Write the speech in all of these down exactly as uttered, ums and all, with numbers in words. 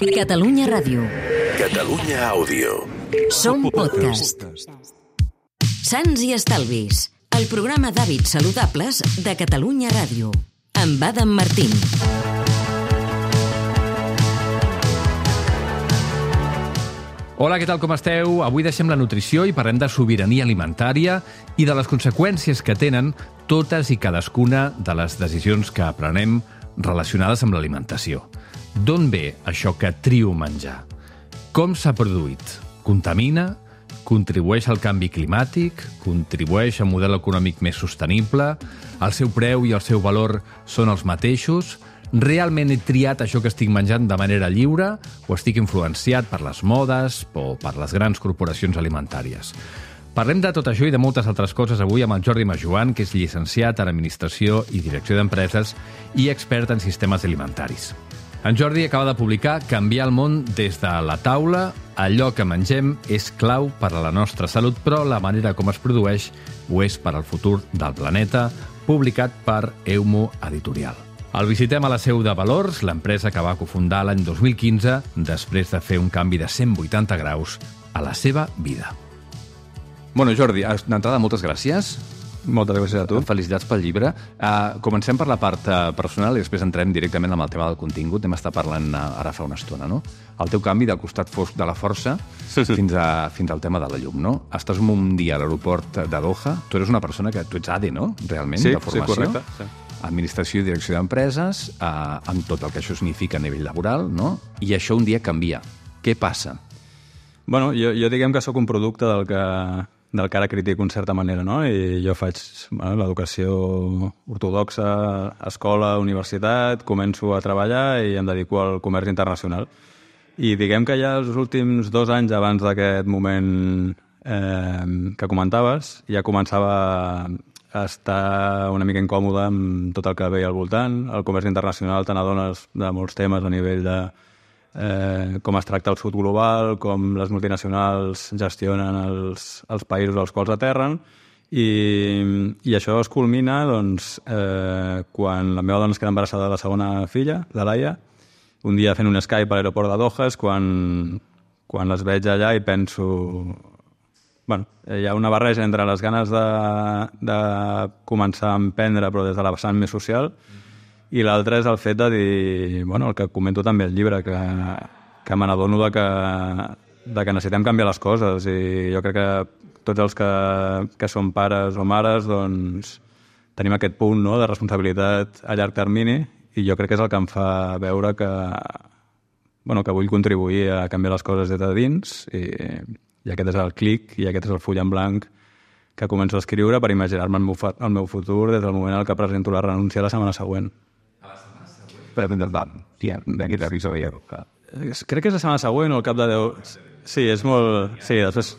Catalunya Ràdio. Catalunya Àudio. Som podcast. Sants i Estalvis, el programa d'hàbits saludables de Catalunya Ràdio. Amb Adam Martín. Hola, què tal, com esteu? Avui deixem la nutrició i parlem de sobirania alimentària i de les conseqüències que tenen totes i cadascuna de les decisions que prenem relacionades amb l'alimentació. D'on ve això que trio menjar? Com s'ha produït? Contamina? Contribueix al canvi climàtic? Contribueix a un model econòmic més sostenible? El seu preu i el seu valor són els mateixos? Realment he triat això que estic menjant de manera lliure o estic influenciat per les modes o per les grans corporacions alimentàries? Parlem de tot això i de moltes altres coses avui amb el Jordi Majoan, que és llicenciat en Administració i Direcció d'Empreses i expert en sistemes alimentaris. En Jordi acaba de publicar Canviar el món des de la taula. Allò que mengem és clau per a la nostra salut, però la manera com es produeix ho és per al futur del planeta, publicat per Eumo Editorial. El visitem a la seu de Valors, l'empresa que va cofundar l'any dos mil quinze, després de fer un canvi de cent vuitanta graus a la seva vida. Bueno, Jordi, d'entrada, moltes gràcies. Moltes gràcies a tu. Felicitats pel llibre. Uh, comencem per la part uh, personal i després entrem directament amb el tema del contingut. Hem estat parlant uh, ara fa una estona, no? El teu canvi del costat fosc de la força sí, sí. Fins, a, fins al tema de la llum, no? Estàs un dia a l'aeroport de Doha. Tu eres una persona que... Tu ets A D E, no? Realment, sí, de formació. Sí, correcte. Sí. Administració i direcció d'empreses, eh, amb tot el que això significa a nivell laboral, no? I això un dia canvia. Què passa? Bueno, jo, jo diguem que sóc un producte del que, del que ara critico en certa manera, no? I jo faig bueno, l'educació ortodoxa, escola, universitat, començo a treballar i em dedico al comerç internacional. I diguem que ja els últims dos anys abans d'aquest moment eh, que comentaves, ja començava a estar una mica incòmode amb tot el que veia al voltant. El comerç internacional te n'adones de molts temes a nivell de eh, com es tracta el sud global, com les multinacionals gestionen els, els països als quals aterren, i, i això es culmina doncs, eh, quan la meva dona es queda embarassada de la segona filla, la Laia, un dia fent un Skype a l'aeroport de Doha, és quan, quan les veig allà i penso... Bueno, hi ha una barreja entre les ganes de, de començar a emprendre, però des de la vessant més social, i l'altre és el fet de dir, bueno, el que comento també al llibre, que, que me n'adono de que, de que necessitem canviar les coses, i jo crec que tots els que, que som pares o mares doncs, tenim aquest punt, no?, de responsabilitat a llarg termini, i jo crec que és el que em fa veure que, bueno, que vull contribuir a canviar les coses des de dins, i... I aquest és el clic, i aquest és el full en blanc que començo a escriure per imaginar-me el meu, el meu futur des del moment en què presento la renúncia la setmana següent. A la setmana següent? Per endavant, ja, d'aquest episodi. Crec que és la setmana següent o al cap de deu... Sí, és molt... Sí, després...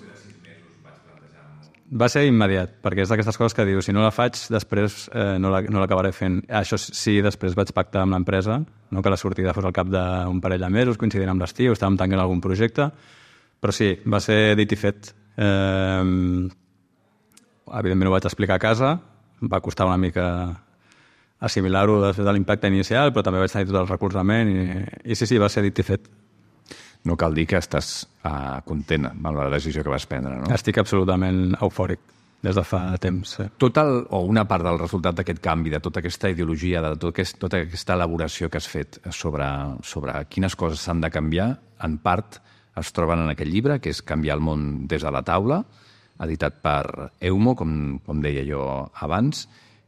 Va ser immediat, perquè és d'aquestes coses que dius, si no la faig, després eh, no l'acabaré fent. Això sí, després vaig pactar amb l'empresa, no, que la sortida fos al cap d'un parell de mesos, coincidint amb l'estiu, estàvem tancant algun projecte. Però sí, va ser dit i fet. Eh, evidentment ho vaig explicar a casa, va costar una mica assimilar-ho després de l'impacte inicial, però també vaig tenir tot el recolzament i, i sí, sí, va ser dit i fet. No cal dir que estàs uh, content amb la decisió que vas prendre, no? Estic absolutament eufòric des de fa temps. Sí. Tot el, o una part del resultat d'aquest canvi, de tota aquesta ideologia, de tot aquest, tota aquesta elaboració que has fet sobre, sobre quines coses s'han de canviar, en part es troben en aquest llibre, que és Canviar el món des de la taula, editat per Eumo, com, com deia jo abans,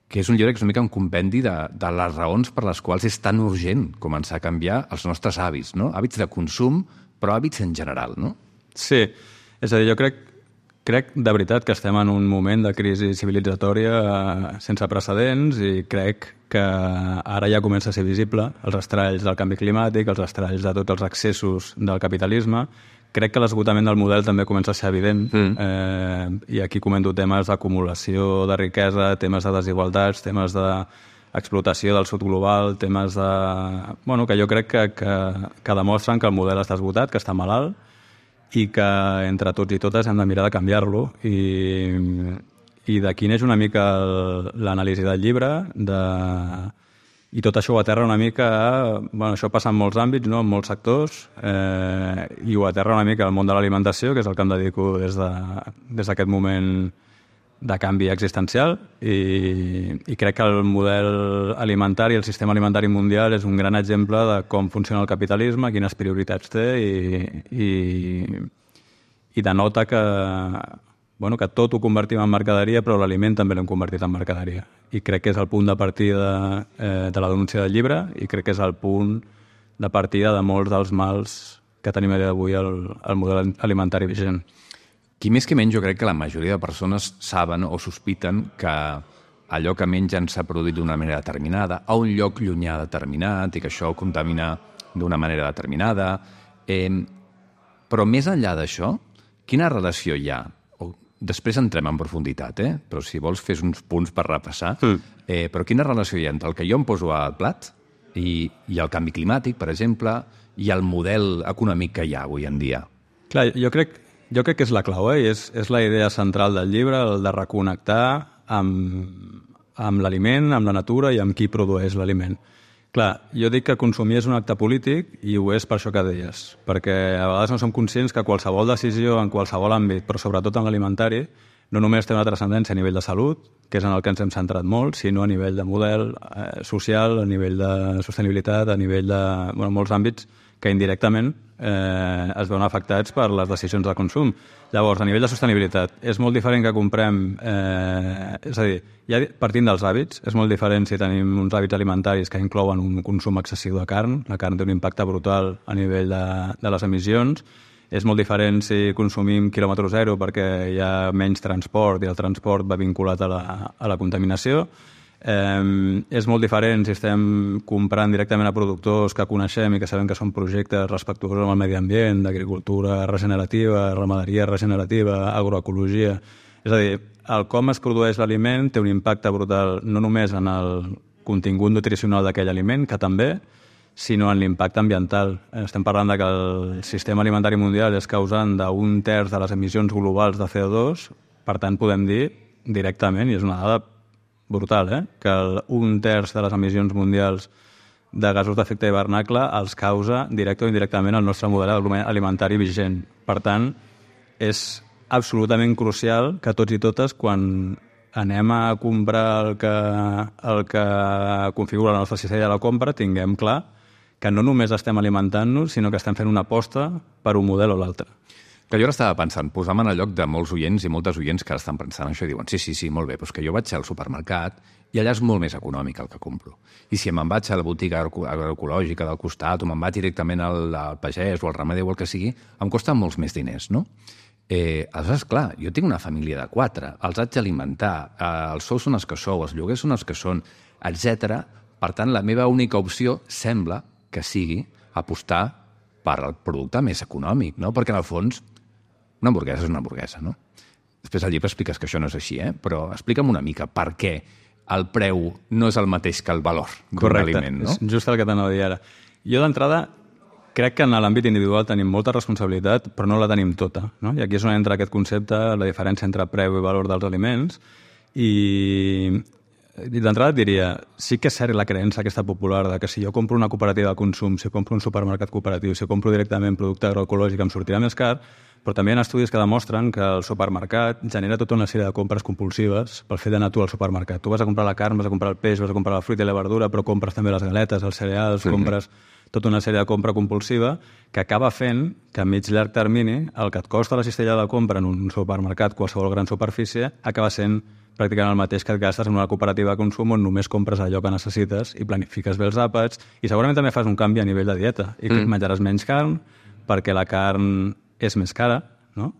que és un llibre que és una mica un compendi de, de les raons per les quals és tan urgent començar a canviar els nostres hàbits, no? Hàbits de consum, però hàbits en general, no? Sí, és a dir, jo crec, crec de veritat que estem en un moment de crisi civilitzatòria eh, sense precedents, i crec que ara ja comença a ser visible els estralls del canvi climàtic, els estralls de tots els excessos del capitalisme. Crec que l'esgotament del model també comença a ser evident, mm. eh, i aquí comento temes d'acumulació de riquesa, temes de desigualtats, temes d'explotació del sud global, temes de... Bueno, que jo crec que, que, que demostren que el model està esgotat, que està malalt, i que entre tots i totes hem de mirar de canviar-lo, i... i d'aquí neix una mica l'anàlisi del llibre, de, I tot això ho aterra una mica a... Bueno, això passa en molts àmbits, no? En molts sectors, eh, i ho aterra una mica al món de l'alimentació, que és el que em dedico des de, des d'aquest moment de canvi existencial, i, i crec que el model alimentari, el sistema alimentari mundial és un gran exemple de com funciona el capitalisme, quines prioritats té i, i, i denota que, bueno, que tot ho convertim en mercaderia, però l'aliment també l'hem convertit en mercaderia. I crec que és el punt de partida eh, de la denúncia del llibre, i crec que és el punt de partida de molts dels mals que tenim a dia d'avui al, al model alimentari vigent. Qui més que menys, jo crec que la majoria de persones saben o sospiten que allò que mengen s'ha produït d'una manera determinada, a un lloc llunyà determinat, i que això contamina d'una manera determinada. Eh, però més enllà d'això, quina relació hi ha? O, després entrem en profunditat, eh? Però si vols fes uns punts per repassar. Mm. Eh, però quina relació hi ha entre el que jo em poso al plat i, i el canvi climàtic, per exemple, i el model econòmic que hi ha avui en dia? Clar, jo crec Jo crec que és la clau, eh? I és, és la idea central del llibre, el de reconnectar amb, amb l'aliment, amb la natura i amb qui produeix l'aliment. Clar, jo dic que consumir és un acte polític i ho és per això que deies, perquè a vegades no som conscients que qualsevol decisió en qualsevol àmbit, però sobretot en l'alimentari, no només té una transcendència a nivell de salut, que és en el que ens hem centrat molt, sinó a nivell de model eh, social, a nivell de sostenibilitat, a nivell de bueno, molts àmbits que indirectament eh, es veuen afectats per les decisions de consum. Llavors, a nivell de sostenibilitat, és molt diferent que comprem... Eh, és a dir, ja partint dels hàbits, és molt diferent si tenim uns hàbits alimentaris que inclouen un consum excessiu de carn. La carn té un impacte brutal a nivell de, de les emissions. És molt diferent si consumim quilòmetre zero perquè hi ha menys transport i el transport va vinculat a la, a la contaminació. Eh, és molt diferent si estem comprant directament a productors que coneixem i que sabem que són projectes respectuosos amb el medi ambient, d'agricultura regenerativa, ramaderia regenerativa, agroecologia. És a dir, el com es produeix l'aliment té un impacte brutal no només en el contingut nutricional d'aquell aliment, que també, sinó en l'impacte ambiental. Estem parlant de que el sistema alimentari mundial és causant d'un terç de les emissions globals de C O dos, per tant podem dir directament, i és una dada brutal, eh? Que el, un terç de les emissions mundials de gasos d'efecte hivernacle els causa directe o indirectament el nostre model alimentari vigent. Per tant, és absolutament crucial que tots i totes, quan anem a comprar el que, el que configura la nostra cistella de la compra, tinguem clar que no només estem alimentant-nos, sinó que estem fent una aposta per un model o l'altre. Que jo ara estava pensant, posam en el lloc de molts oients i moltes oients que ara estan pensant això i diuen sí, sí, sí, molt bé, però és que jo vaig al supermercat i allà és molt més econòmic el que compro. I si me'n vaig a la botiga agroecològica del costat o me'n vaig directament al, al pagès o al ramader o el que sigui, em costa molts més diners, no? Eh, aleshores, clar, jo tinc una família de quatre, els haig d'alimentar, eh, els sous són els que sou, els lloguers són els que són, etcètera. Per tant, la meva única opció sembla que sigui apostar per al producte més econòmic, no? Perquè, en el fons, una hamburguesa és una hamburguesa, no? Després al llibre expliques que això no és així, eh? Però explica'm una mica per què el preu no és el mateix que el valor d'un aliment, no? Correcte, és just el que t'anava a dir ara. Jo, d'entrada, crec que en l'àmbit individual tenim molta responsabilitat, però no la tenim tota, no? I aquí és on entra aquest concepte, la diferència entre preu i valor dels aliments, i... I d'entrada et diria, sí que és cert la creença aquesta popular de que si jo compro una cooperativa de consum, si compro un supermercat cooperatiu, si compro directament producte agroecològic em sortirà més car, però també hi ha estudis que demostren que el supermercat genera tota una sèrie de compres compulsives pel fet d'anar tu al supermercat. Tu vas a comprar la carn, vas a comprar el peix, vas a comprar la fruita i la verdura, però compres també les galetes, els cereals, sí. Compres tota una sèrie de compra compulsiva que acaba fent que a mig llarg termini el que et costa la cistella de la compra en un supermercat, qualsevol gran superfície, acaba sent pràcticament el mateix que et gastes en una cooperativa de consum on només compres allò que necessites i planifiques bé els àpats i segurament també fas un canvi a nivell de dieta i mm. menjaràs menys carn perquè la carn és més cara, no?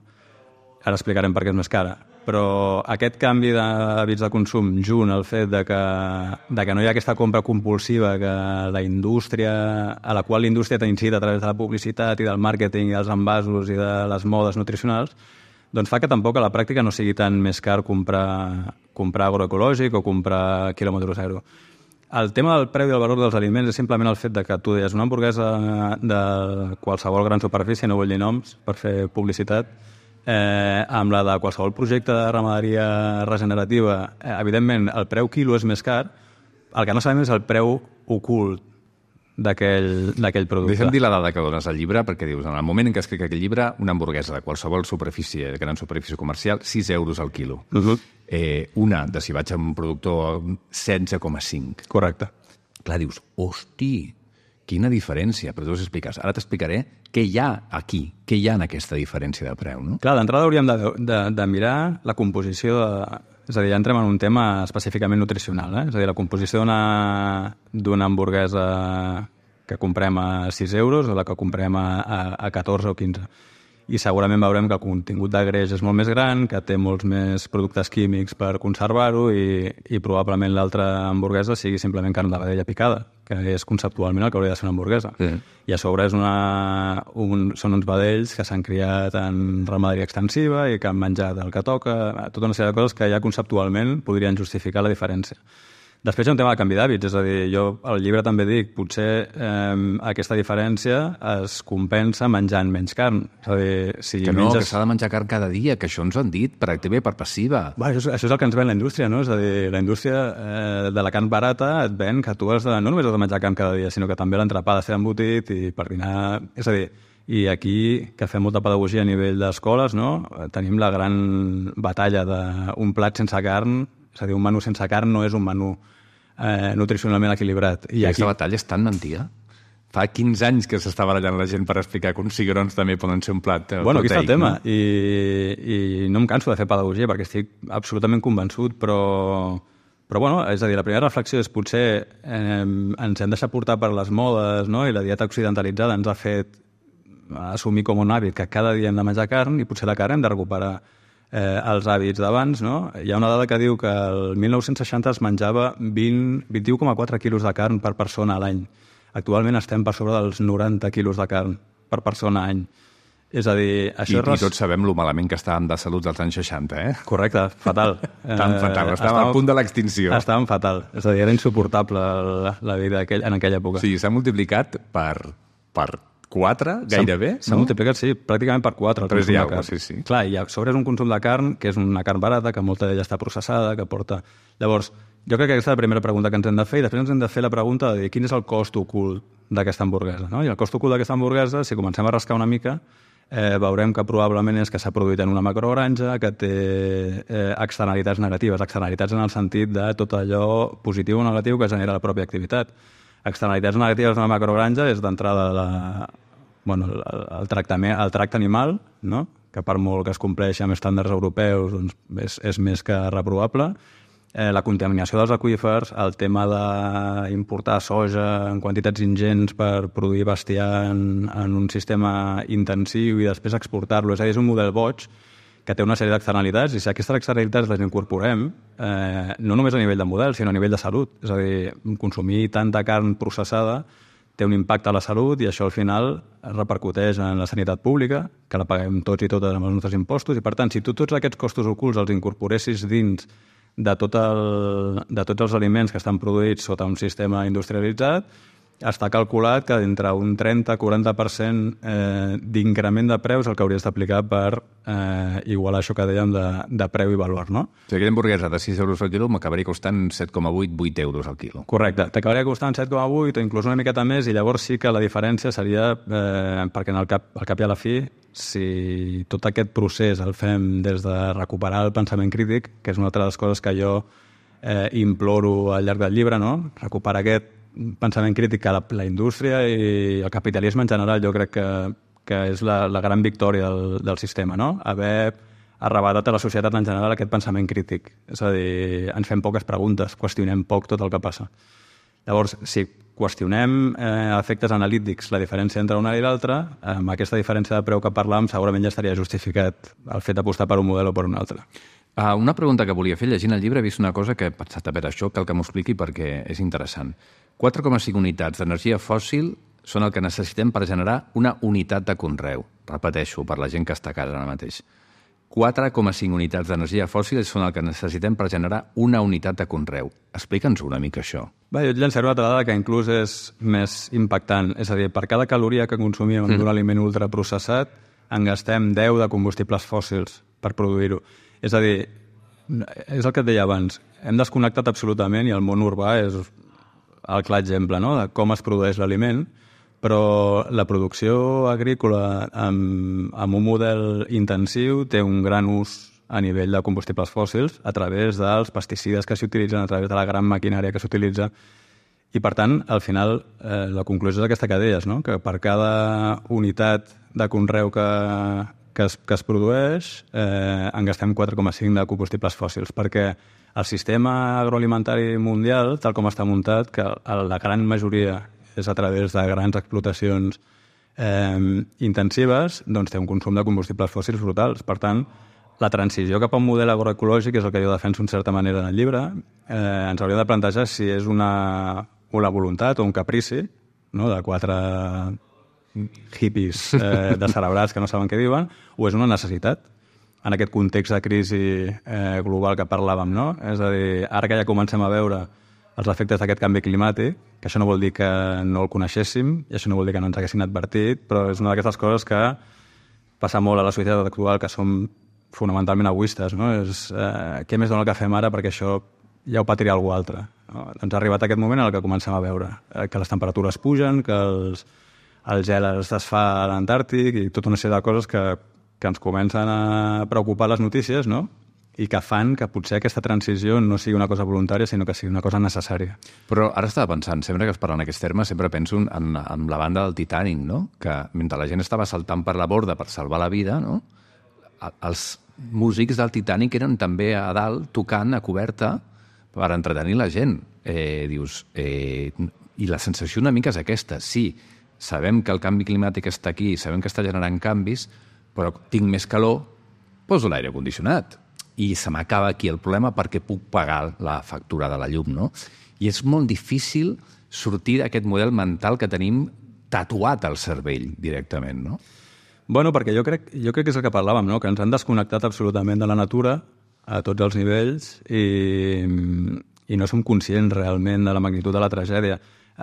Ara explicarem per què és més cara. Però aquest canvi d'hàbits de consum junt al fet de que, de que no hi ha aquesta compra compulsiva que la indústria, a la qual la indústria t'incita a través de la publicitat i del màrqueting i dels envasos i de les modes nutricionals, doncs fa que tampoc a la pràctica no sigui tan més car comprar, comprar agroecològic o comprar quilòmetre zero. El tema del preu i el valor dels aliments és simplement el fet de que tu deies una hamburguesa de qualsevol gran superfície, no vull dir noms per fer publicitat, eh, amb la de qualsevol projecte de ramaderia regenerativa, eh, evidentment el preu quilo és més car, el que no sabem és el preu ocult d'aquell producte. Deixa'm dir la dada que dones al llibre, perquè dius, en el moment en què escric aquell llibre, una hamburguesa de qualsevol superfície, de gran superfície comercial, sis euros al quilo. Uh-huh. Eh, una, de si vaig a un productor, setze coma cinc. Correcte. Clar, dius, hosti, quina diferència. Però tu us expliques. Ara t'explicaré què hi ha aquí, què hi ha en aquesta diferència de preu, no? Clar, d'entrada hauríem de, de, de mirar la composició de... És a dir, ja entrem en un tema específicament nutricional, eh? És a dir, la composició d'una hamburguesa que comprem a sis euros o la que comprem a, a, a catorze o quinze. I segurament veurem que el contingut de greix és molt més gran, que té molts més productes químics per conservar-ho i, i probablement l'altra hamburguesa sigui simplement carn de vedella picada, que és conceptualment el que hauria de ser una hamburguesa. Sí. I a sobre és una, un, són uns vedells que s'han criat en ramaderia extensiva i que han menjat el que toca, tota una sèrie de coses que ja conceptualment podrien justificar la diferència. Després hi ha un tema de canvi d'hàbits, és a dir, jo al llibre també dic, potser eh, aquesta diferència es compensa menjant menys carn. És a dir, si que no, menges... que s'ha de menjar carn cada dia, que això ens ho han dit per activa i per passiva. Va, això, és, això és el que ens ven la indústria, no? És a dir, la indústria eh, de la carn barata et ven que tu has de, no només has de menjar carn cada dia, sinó que també l'entrepà ha de ser embotit i per dinar... És a dir, i aquí, que fem molta pedagogia a nivell d'escoles, no? Tenim la gran batalla d'un plat sense carn, és a dir, un menú sense carn no és un menú Eh, nutricionalment equilibrat. I, I aquesta aquí... batalla és tan mentida. Fa quinze anys que s'està barallant la gent per explicar que uns cigrons també poden ser un plat proteic. Bueno, aquí està el tema. No? I, I no em canso de fer pedagogia perquè estic absolutament convençut, però, però bueno, és a dir, la primera reflexió és potser eh, ens hem deixat portar per les modes, no? I la dieta occidentalitzada ens ha fet assumir com un hàbit que cada dia hem de menjar carn i potser la carn hem de recuperar Eh, els hàbits d'abans, no? Hi ha una dada que diu que el mil nou-cents seixanta es menjava vint, vint-i-u coma quatre quilos de carn per persona a l'any. Actualment estem per sobre dels noranta quilos de carn per persona a l'any. És a dir, això I, és... I tots sabem lo malament que estàvem de salut als anys seixanta, eh? Correcte, fatal. Tan fatal, estàvem, estàvem al punt de l'extinció. Estàvem fatal, és a dir, era insuportable la, la vida aquell, en aquella època. Sí, s'ha multiplicat per... per quatre, gairebé, S'ha no? multiplicat, sí, pràcticament per quatre. Tres i alguna cosa, sí, sí. Clar, i a sobre és un consum de carn, que és una carn barata, que molta d'ella està processada, que porta... Llavors, jo crec que aquesta és la primera pregunta que ens hem de fer, i després ens hem de fer la pregunta de dir quin és el cost ocult d'aquesta hamburguesa, no? I el cost ocult d'aquesta hamburguesa, si comencem a rascar una mica, eh, veurem que probablement és que s'ha produït en una macrogranja, que té eh, externalitats negatives, externalitats en el sentit de tot allò positiu o negatiu que genera la pròpia activitat. Externalitats negatives d'una macrogranja és d'entrada la... bueno, el, el, tractament, el tracte animal, no? Que per molt que es compleixi amb estàndards europeus doncs és, és més que reprovable. Eh, la contaminació dels aqüífers, el tema d'importar soja en quantitats ingents per produir bestiar en, en un sistema intensiu i després exportar-lo. És a dir, és un model boig que té una sèrie d'externalitats i si aquestes externalitats les incorporem, eh, no només a nivell de model, sinó a nivell de salut. És a dir, consumir tanta carn processada té un impacte a la salut i això al final repercuteix en la sanitat pública, que la paguem tots i totes amb els nostres impostos, i per tant, si tu tots aquests costos ocults els incorporessis dins de, tot el, de tots els aliments que estan produïts sota un sistema industrialitzat, està calculat que d'entre un trenta a quaranta per cent eh, d'increment de preus el que hauries d'aplicar per eh, igualar això que dèiem de, de preu i valor, no? O sigui, aquella hamburguesa de sis euros al quilo m'acabaria costant set coma vuit, vuit euros al quilo. Correcte, t'acabaria costant set coma vuit o inclús una miqueta més i llavors sí que la diferència seria, eh, perquè en el cap, al cap i a la fi, si tot aquest procés el fem des de recuperar el pensament crític, que és una altra de les coses que jo eh, imploro al llarg del llibre, no? Recuperar aquest pensament crític que la, la indústria i el capitalisme en general jo crec que, que és la, la gran victòria del, del sistema, no? Haver arrebatat a la societat en general aquest pensament crític. És a dir, ens fem poques preguntes, qüestionem poc tot el que passa. Llavors, si qüestionem eh, efectes analítics la diferència entre una i l'altra, amb aquesta diferència de preu que parlàvem segurament ja estaria justificat el fet d'apostar per un model o per un altre. Uh, una pregunta que volia fer, llegint el llibre he vist una cosa que he pensat, a veure, això cal que m'ho expliqui perquè és interessant. quatre coma cinc unitats d'energia fòssil són el que necessitem per generar una unitat de conreu. Repeteixo, per la gent que està a casa ara mateix. quatre coma cinc unitats d'energia fòssil són el que necessitem per generar una unitat de conreu. Explica'ns una mica això. Bé, jo et llançaré una altra dada que inclús és més impactant. És a dir, per cada caloria que consumim mm. d'un aliment ultraprocessat, en gastem deu de combustibles fòssils per produir-ho. És a dir, és el que et deia abans, hem desconnectat absolutament i el món urbà és el clar exemple, no?, de com es produeix l'aliment, però la producció agrícola amb, amb un model intensiu té un gran ús a nivell de combustibles fòssils a través dels pesticides que s'utilitzen, a través de la gran maquinària que s'utilitza. I, per tant, al final, eh, la conclusió és aquesta que deies, no?, que per cada unitat de conreu que, que, es, que es produeix eh, en gastem quatre coma cinc de combustibles fòssils, perquè el sistema agroalimentari mundial, tal com està muntat, que la gran majoria és a través de grans explotacions eh, intensives, doncs té un consum de combustibles fòssils brutals. Per tant, la transició cap a un model agroecològic, és el que jo defenso en certa manera en el llibre, eh, ens hauríem de plantejar si és una, una voluntat o un caprici, no?, de quatre hippies eh, descerebrats que no saben què diuen, o és una necessitat en aquest context de crisi eh, global que parlàvem, no? És a dir, ara que ja comencem a veure els efectes d'aquest canvi climàtic, que això no vol dir que no el coneixéssim, i això no vol dir que no ens haguessin advertit, però és una d'aquestes coses que passa molt a la societat actual, que som fonamentalment egoistes, no? És, eh, què més dona el que fem ara perquè això ja ho patirà algú altre, no? Doncs ha arribat aquest moment en el que comencem a veure eh, que les temperatures pugen, que els, el gel es desfà a l'Antàrtic i tota una sèrie de coses que, que ens comencen a preocupar les notícies, no?, i que fan que potser aquesta transició no sigui una cosa voluntària, sinó que sigui una cosa necessària. Però ara estava pensant, sempre que es parla en aquests termes, sempre penso en, en la banda del Titanic, no?, que mentre la gent estava saltant per la borda per salvar la vida, no?, els músics del Titanic eren també a dalt tocant a coberta per entretenir la gent. Eh, dius, eh, i la sensació una mica és aquesta. Sí, sabem que el canvi climàtic està aquí, sabem que està generant canvis, però tinc més calor, poso l'aire condicionat. I se m'acaba aquí el problema perquè puc pagar la factura de la llum, no? I és molt difícil sortir d'aquest model mental que tenim tatuat al cervell directament, no? Bueno, perquè jo crec, jo crec que és el que parlàvem, no?, que ens han desconnectat absolutament de la natura a tots els nivells i, i no som conscients realment de la magnitud de la tragèdia.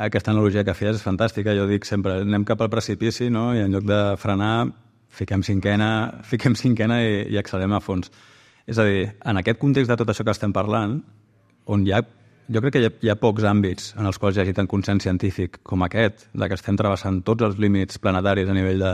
Aquesta analogia que feies és fantàstica. Jo dic sempre, anem cap al precipici, no?, i en lloc de frenar, fiquem cinquena, fiquem cinquena i, i accelerem a fons. És a dir, en aquest context de tot això que estem parlant, on hi ha, jo crec que hi ha, hi ha pocs àmbits en els quals hi hagi tant consens científic com aquest, de que estem travessant tots els límits planetaris a nivell de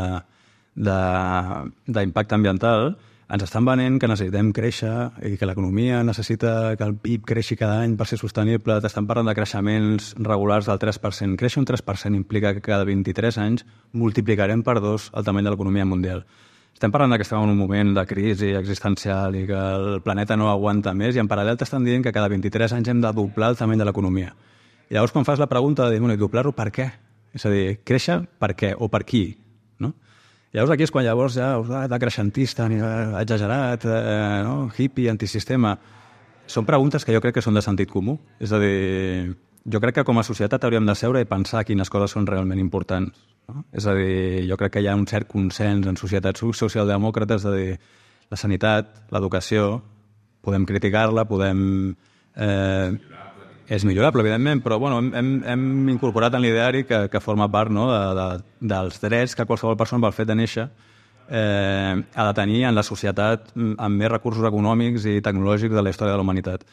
d'impacte ambiental, ens estan venent que necessitem créixer i que l'economia necessita que el P I B creixi cada any per ser sostenible. T'estan parlant de creixements regulars del tres per cent. Créixer un tres per cent implica que cada vint-i-tres anys multiplicarem per dos el tamany de l'economia mundial. Estem parlant que estem en un moment de crisi existencial i que el planeta no aguanta més i en paral·lel t'estan dient que cada vint-i-tres anys hem de doblar el tamany de l'economia. I llavors quan fas la pregunta de dir, bueno, i doblar-ho per què? És a dir, créixer per què o per qui? No? Llavors aquí és quan llavors ja oh, de creixentista, exagerat, eh, no? Hippie, antisistema. Són preguntes que jo crec que són de sentit comú. És a dir, jo crec que com a societat hauríem de seure i pensar quines coses són realment importants. No? És a dir, jo crec que hi ha un cert consens en societats socialdemòcrates de dir la sanitat, l'educació, podem criticar-la, podem... Eh, és millorable, evidentment, però bueno, hem, hem incorporat en l'ideari que, que forma part, no?, de, de, dels drets que qualsevol persona pel fet de néixer eh, ha de tenir en la societat amb més recursos econòmics i tecnològics de la història de la humanitat.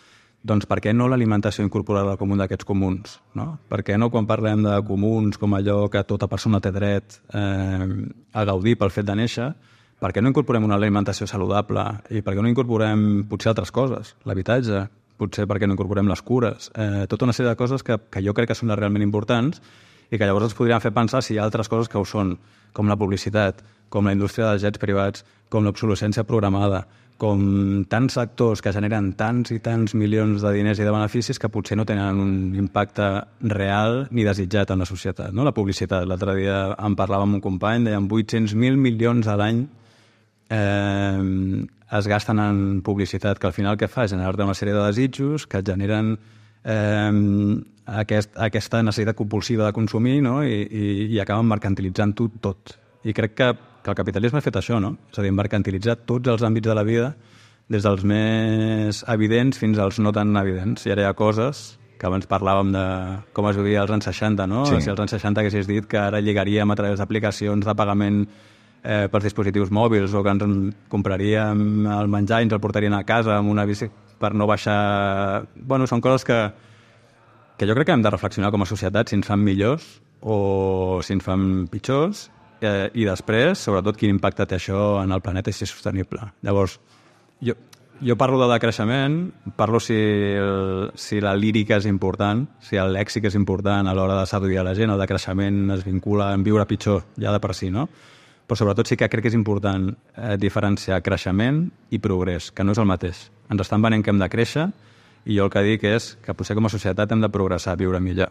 Doncs per què no l'alimentació incorporada com un d'aquests comuns? No? Per què no quan parlem de comuns com allò que tota persona té dret eh, a gaudir pel fet de néixer, per què no incorporem una alimentació saludable i per què no incorporem potser altres coses, l'habitatge, potser perquè no incorporem les cures, eh, tota una sèrie de coses que, que jo crec que són realment importants i que llavors ens podrien fer pensar si hi ha altres coses que ho són, com la publicitat, com la indústria dels jets privats, com l'obsolescència programada, com tants sectors que generen tants i tants milions de diners i de beneficis que potser no tenen un impacte real ni desitjat en la societat. No? La publicitat, l'altre dia en parlàvem amb un company, deien vuit-cents mil milions a l'any eh, es gasten en publicitat, que al final què fa? Generar-te una sèrie de desitjos que et generen eh, aquest, aquesta necessitat compulsiva de consumir, no? I, i, i acaben mercantilitzant-ho tot. I crec que, que el capitalisme ha fet això, no? És a dir, mercantilitzar tots els àmbits de la vida, des dels més evidents fins als no tan evidents. I ara hi ha coses que abans parlàvem de com es vivia als anys seixanta, no? Sí. Si als anys seixanta haguessis dit que ara lligaríem a través d'aplicacions de pagament Eh, pels dispositius mòbils o que ens compraríem el menjar i ens el portarien a casa amb una bici per no baixar... Bueno, són coses que, que jo crec que hem de reflexionar com a societat si ens fan millors o si ens fan pitjors, eh, i després, sobretot, quin impacte té això en el planeta i si és sostenible. Llavors, jo, jo parlo de decreixement, parlo si, el, si la lírica és important, si el lèxic és important a l'hora de seduir a la gent, el decreixement es vincula en viure pitjor, ja de per si, no? Però sobretot sí que crec que és important eh, diferenciar creixement i progrés, que no és el mateix. Ens estan venent que hem de créixer i jo el que dic és que potser com a societat hem de progressar, viure millor.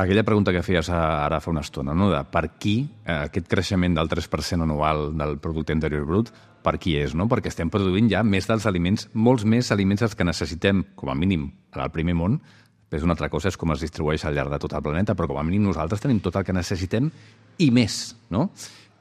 Aquella pregunta que feies ara fa una estona, no? De per qui eh, aquest creixement del tres per cent anual del producte interior brut, per qui és, no? Perquè estem produint ja més dels aliments, molts més aliments dels que necessitem, com a mínim, al primer món. Després una altra cosa és com es distribueix al llarg de tot el planeta, però com a mínim nosaltres tenim tot el que necessitem i més, no?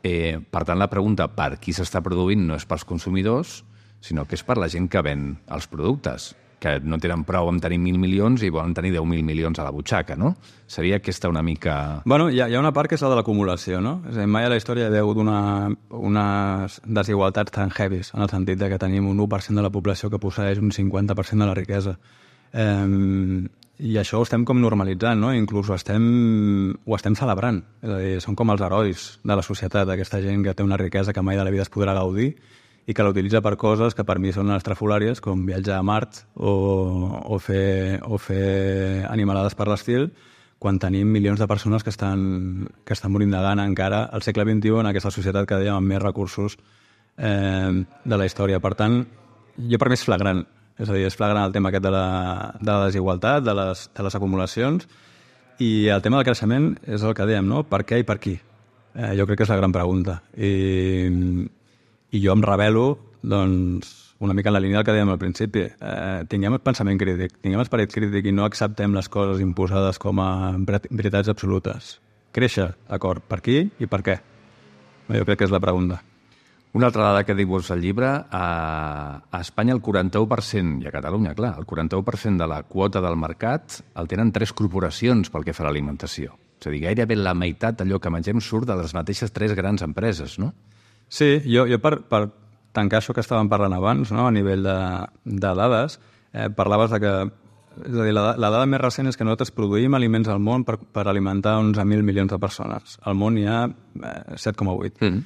Eh, per tant, la pregunta per qui s'està produint no és pels consumidors, sinó que és per la gent que ven els productes, que no tenen prou amb tenir mil milions i volen tenir deu mil milions a la butxaca, no? Seria aquesta una mica... Bueno, hi ha, hi ha una part que és la de l'acumulació, no? És a dir, mai a la història hi ha hagut una, unes desigualtats tan heavies, en el sentit de que tenim un u per cent de la població que posseeix un cinquanta per cent de la riquesa. Eh, I això ho estem com normalitzant, no? Inclús ho estem, ho estem celebrant. És a dir, són com els herois de la societat, aquesta gent que té una riquesa que mai de la vida es podrà gaudir i que l'utilitza per coses que per mi són estrafolàries, com viatjar a Mart o, o, fer, o fer animalades per l'estil, quan tenim milions de persones que estan, que estan morint de gana encara al segle vint-i-u en aquesta societat que dèiem amb més recursos eh, de la història. Per tant, jo per mi és flagrant. És a dir, és flagrant el tema aquest de la, de la desigualtat, de les, de les acumulacions, i el tema del creixement és el que dèiem, no? Per què i per qui? Eh, jo crec que és la gran pregunta. I, i jo em rebel·lo, doncs, una mica en la línia del que dèiem al principi. Eh, tinguem pensament crític, tinguem esperit crític i no acceptem les coses imposades com a veritats absolutes. Créixer, d'acord, per qui i per què? Jo crec que és la pregunta. Una altra dada que dius al llibre, a, a Espanya el quaranta-u per cent, i a Catalunya, clar, el quaranta-u per cent de la quota del mercat el tenen tres corporacions pel que fa a l'alimentació. És a dir, gairebé la meitat d'allò que mengem surt de les mateixes tres grans empreses, no? Sí, jo, jo per, per tancar això que estàvem parlant abans, no? A nivell de, de dades, eh, parlaves de que és a dir, la, la dada més recent és que nosaltres produïm aliments al món per, per alimentar onze mil milions de persones. Al món hi ha eh, set coma vuit. Mm.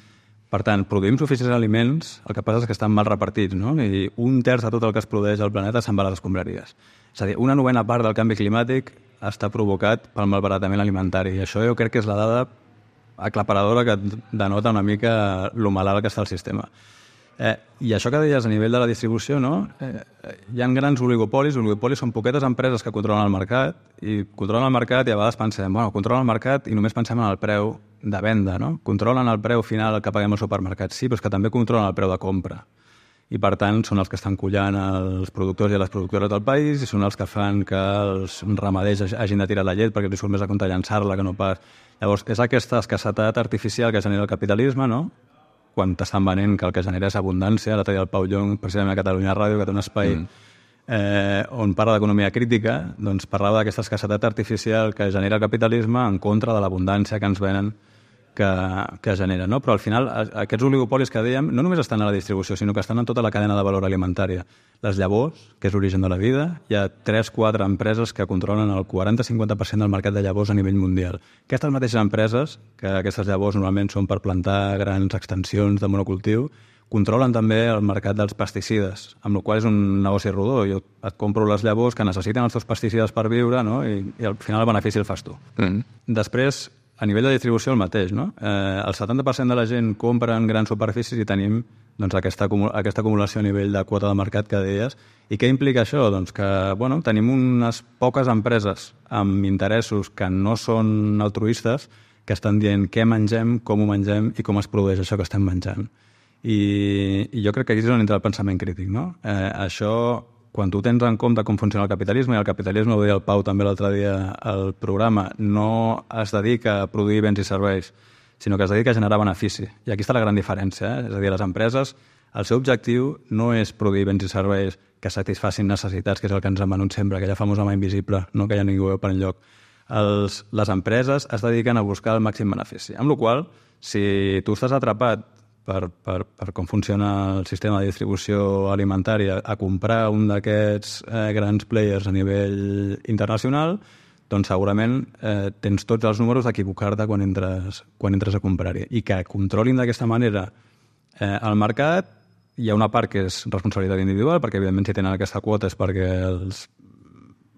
Per tant, produïm suficients aliments, el que passa és que estan mal repartits, no? I un terç de tot el que es produeix al planeta se'n va a les escombraries. És a dir, una novena part del canvi climàtic està provocat pel malbaratament alimentari. I això jo crec que és la dada aclaparadora que denota una mica lo malalt que està el sistema. Eh, I això que deies a nivell de la distribució, no? Eh, hi ha grans oligopolis, oligopolis són poquetes empreses que controlen el mercat, i controlen el mercat i a vegades pensem, bueno, controlen el mercat i només pensem en el preu de venda, no? Controlen el preu final que paguem al supermercat, sí, però és que també controlen el preu de compra. I, per tant, són els que estan collant els productors i les productores del país i són els que fan que els ramaders hagin de tirar la llet perquè li surt més a compte llançar-la que no pas... Llavors, és aquesta escassetat artificial que genera el capitalisme, no? Quan t'estan venent que el que genera és abundància. L'altre dia el Pau Llong, precisament a Catalunya Ràdio, que té un espai mm. eh, on parla d'economia crítica, doncs parlava d'aquesta escassetat artificial que genera el capitalisme en contra de l'abundància que ens venen que, que genera, no? Però al final aquests oligopolis que dèiem no només estan a la distribució, sinó que estan en tota la cadena de valor alimentària. Les llavors, que és l'origen de la vida, hi ha tres o quatre empreses que controlen el quaranta a cinquanta per cent del mercat de llavors a nivell mundial. Aquestes mateixes empreses, que aquestes llavors normalment són per plantar grans extensions de monocultiu, controlen també el mercat dels pesticides, amb la qual cosa és un negoci rodó. Jo et compro les llavors que necessiten els teus pesticides per viure, no? I, i al final el benefici el fas tu. Mm. Després, a nivell de distribució el mateix, no? Eh, el setanta per cent de la gent compra en grans superfícies i tenim doncs, aquesta, aquesta acumulació a nivell de quota de mercat que deies. I què implica això? Doncs que bueno, tenim unes poques empreses amb interessos que no són altruistes que estan dient què mengem, com ho mengem i com es produeix això que estem menjant. I, i jo crec que aquí és on entra el pensament crític, no? Eh, això, quan tu tens en compte com funciona el capitalisme, i el capitalisme, ho deia el Pau també l'altre dia al programa, no es dedica a produir béns i serveis, sinó que es dedica a generar benefici. I aquí està la gran diferència. Eh? És a dir, les empreses, el seu objectiu no és produir béns i serveis que satisfacin necessitats, que és el que ens han venut sempre, aquella famosa mà invisible, no? Que ja ningú veu per enlloc. Els, les empreses es dediquen a buscar el màxim benefici. Amb la qual cosa, si tu estàs atrapat per, per, per com funciona el sistema de distribució alimentària a comprar un d'aquests eh, grans players a nivell internacional, doncs segurament eh, tens tots els números d'equivocar-te quan entres, quan entres a comprar-hi. I que controlin d'aquesta manera eh, el mercat, hi ha una part que és responsabilitat individual, perquè evidentment si tenen aquesta quota és perquè els,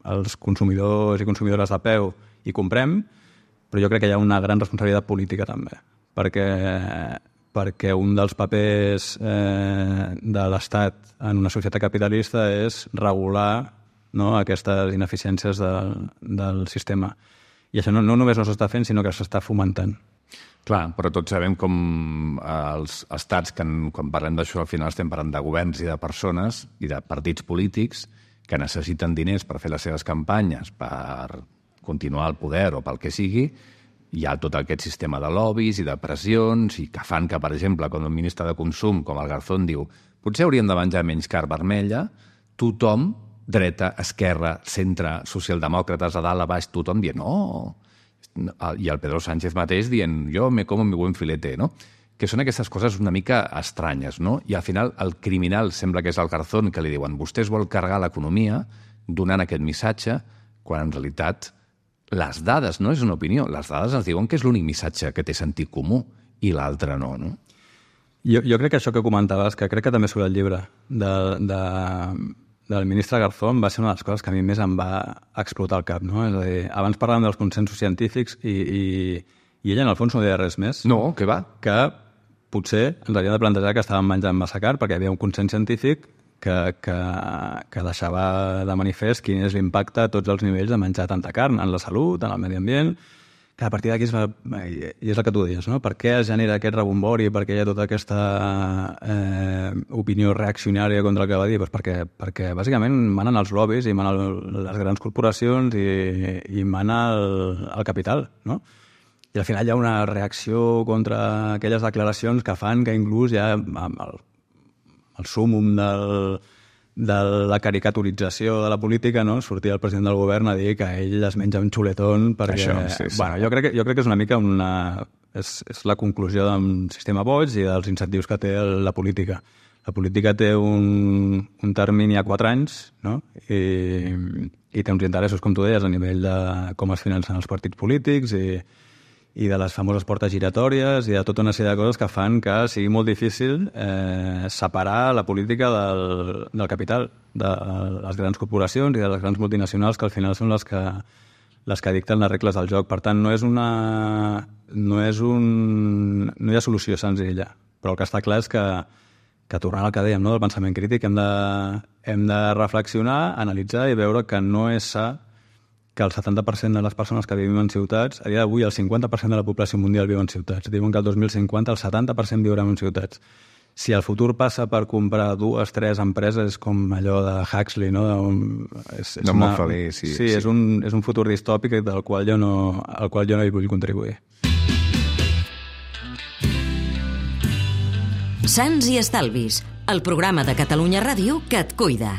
els consumidors i consumidores de peu hi comprem, però jo crec que hi ha una gran responsabilitat política també, perquè, perquè un dels papers eh, de l'Estat en una societat capitalista és regular, no, aquestes ineficiències del, del sistema. I això no, no només no s'està fent, sinó que s'està fomentant. Clar, però tots sabem com els estats, que en, quan parlem d'això, al final estem parlant de governs i de persones i de partits polítics que necessiten diners per fer les seves campanyes, per continuar al poder o pel que sigui. Hi ha tot aquest sistema de lobbies i de pressions i que fan que, per exemple, quan el ministre de Consum, com el Garzón, diu potser hauríem de menjar menys carn vermella, tothom, dreta, esquerra, centre, socialdemòcrates, a dalt, a baix, tothom dient no. I el Pedro Sánchez mateix dient jo me como mi buen filete, no? Que són aquestes coses una mica estranyes, no? I al final el criminal sembla que és el Garzón, que li diuen vostè es vol carregar l'economia donant aquest missatge, quan en realitat les dades no és una opinió, les dades ens diuen que és l'únic missatge que té sentit comú i l'altre no, no? Jo, jo crec que això que comentaves, que crec que també surt el llibre de, de, del ministre Garzón, va ser una de les coses que a mi més em va explotar el cap, no? És a dir, abans parlàvem dels consensos científics i, i, i ella en el fons no deia res més. No, què va? Que potser ens havíem de plantejar que estàvem menjant massa carn perquè hi havia un consens científic que, que, que deixava de manifest quin és l'impacte a tots els nivells de menjar tanta carn, en la salut, en el medi ambient, que a partir d'aquí és, i és el que tu deies, no? Per què es genera aquest rebombori, per què hi ha tota aquesta eh, opinió reaccionària contra el que va dir? Pues perquè, perquè bàsicament manen els lobbies i manen les grans corporacions i, i mana el, el capital, no? I al final hi ha una reacció contra aquelles declaracions que fan que inclús ja amb el, el súmum del, de la caricaturització de la política, no? Sortia el president del govern a dir que ell es menja un xuletón perquè... Això, sí, sí. Bueno, jo crec, que, jo crec que és una mica una... És, és la conclusió d'un sistema boig i dels incentius que té la política. La política té un, un termini a quatre anys, no? I, i té uns interessos, com tu deies, a nivell de com es financen els partits polítics i, i de les famoses portes giratòries i de tota una sèrie de coses que fan que sigui molt difícil eh, separar la política del, del capital, de les grans corporacions i de les grans multinacionals que al final són les que, les que dicten les regles del joc. Per tant, no és una... no és un... no hi ha solució senzilla, però el que està clar és que, que tornant al que dèiem, no, del pensament crític, hem de, hem de reflexionar, analitzar i veure que no és sa que el setanta per cent de les persones que vivim en ciutats, a dia d'avui el cinquanta per cent de la població mundial viu en ciutats. Diuen que el dos mil cinquanta el setanta per cent viurà en ciutats. Si el futur passa per comprar dues, tres empreses com allò de Huxley, no? És, és no una, molt feliç, sí. Sí, sí. És, un, és un futur distòpic del qual jo no, al qual jo no hi vull contribuir. Sants i Estalvis, el programa de Catalunya Ràdio que et cuida.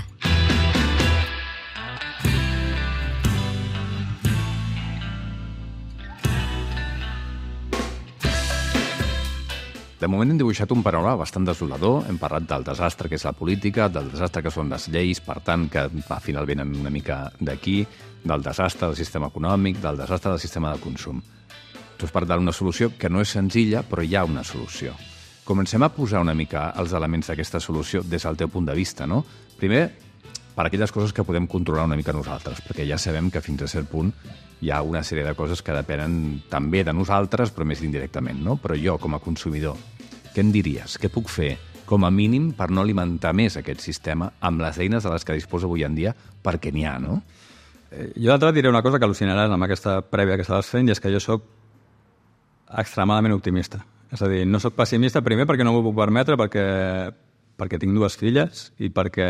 De moment hem dibuixat un panorama bastant desolador. Hem parlat del desastre que és la política, del desastre que són les lleis, per tant, que al final venen una mica d'aquí, del desastre del sistema econòmic, del desastre del sistema de consum. Tu has parlat d'una solució que no és senzilla, però hi ha una solució. Comencem a posar una mica els elements d'aquesta solució des del teu punt de vista, no? Primer, per aquelles coses que podem controlar una mica nosaltres, perquè ja sabem que fins a cert punt hi ha una sèrie de coses que depenen també de nosaltres, però més indirectament, no? Però jo, com a consumidor, què em diries? Què puc fer, com a mínim, per no alimentar més aquest sistema amb les eines de les que disposa avui en dia, perquè n'hi ha, no? Jo d'altre diré una cosa que al·lucinaràs amb aquesta prèvia que estaves fent, i és que jo sóc extremadament optimista. És a dir, no sóc pessimista, primer perquè no m'ho puc permetre, perquè, perquè tinc dues filles i perquè,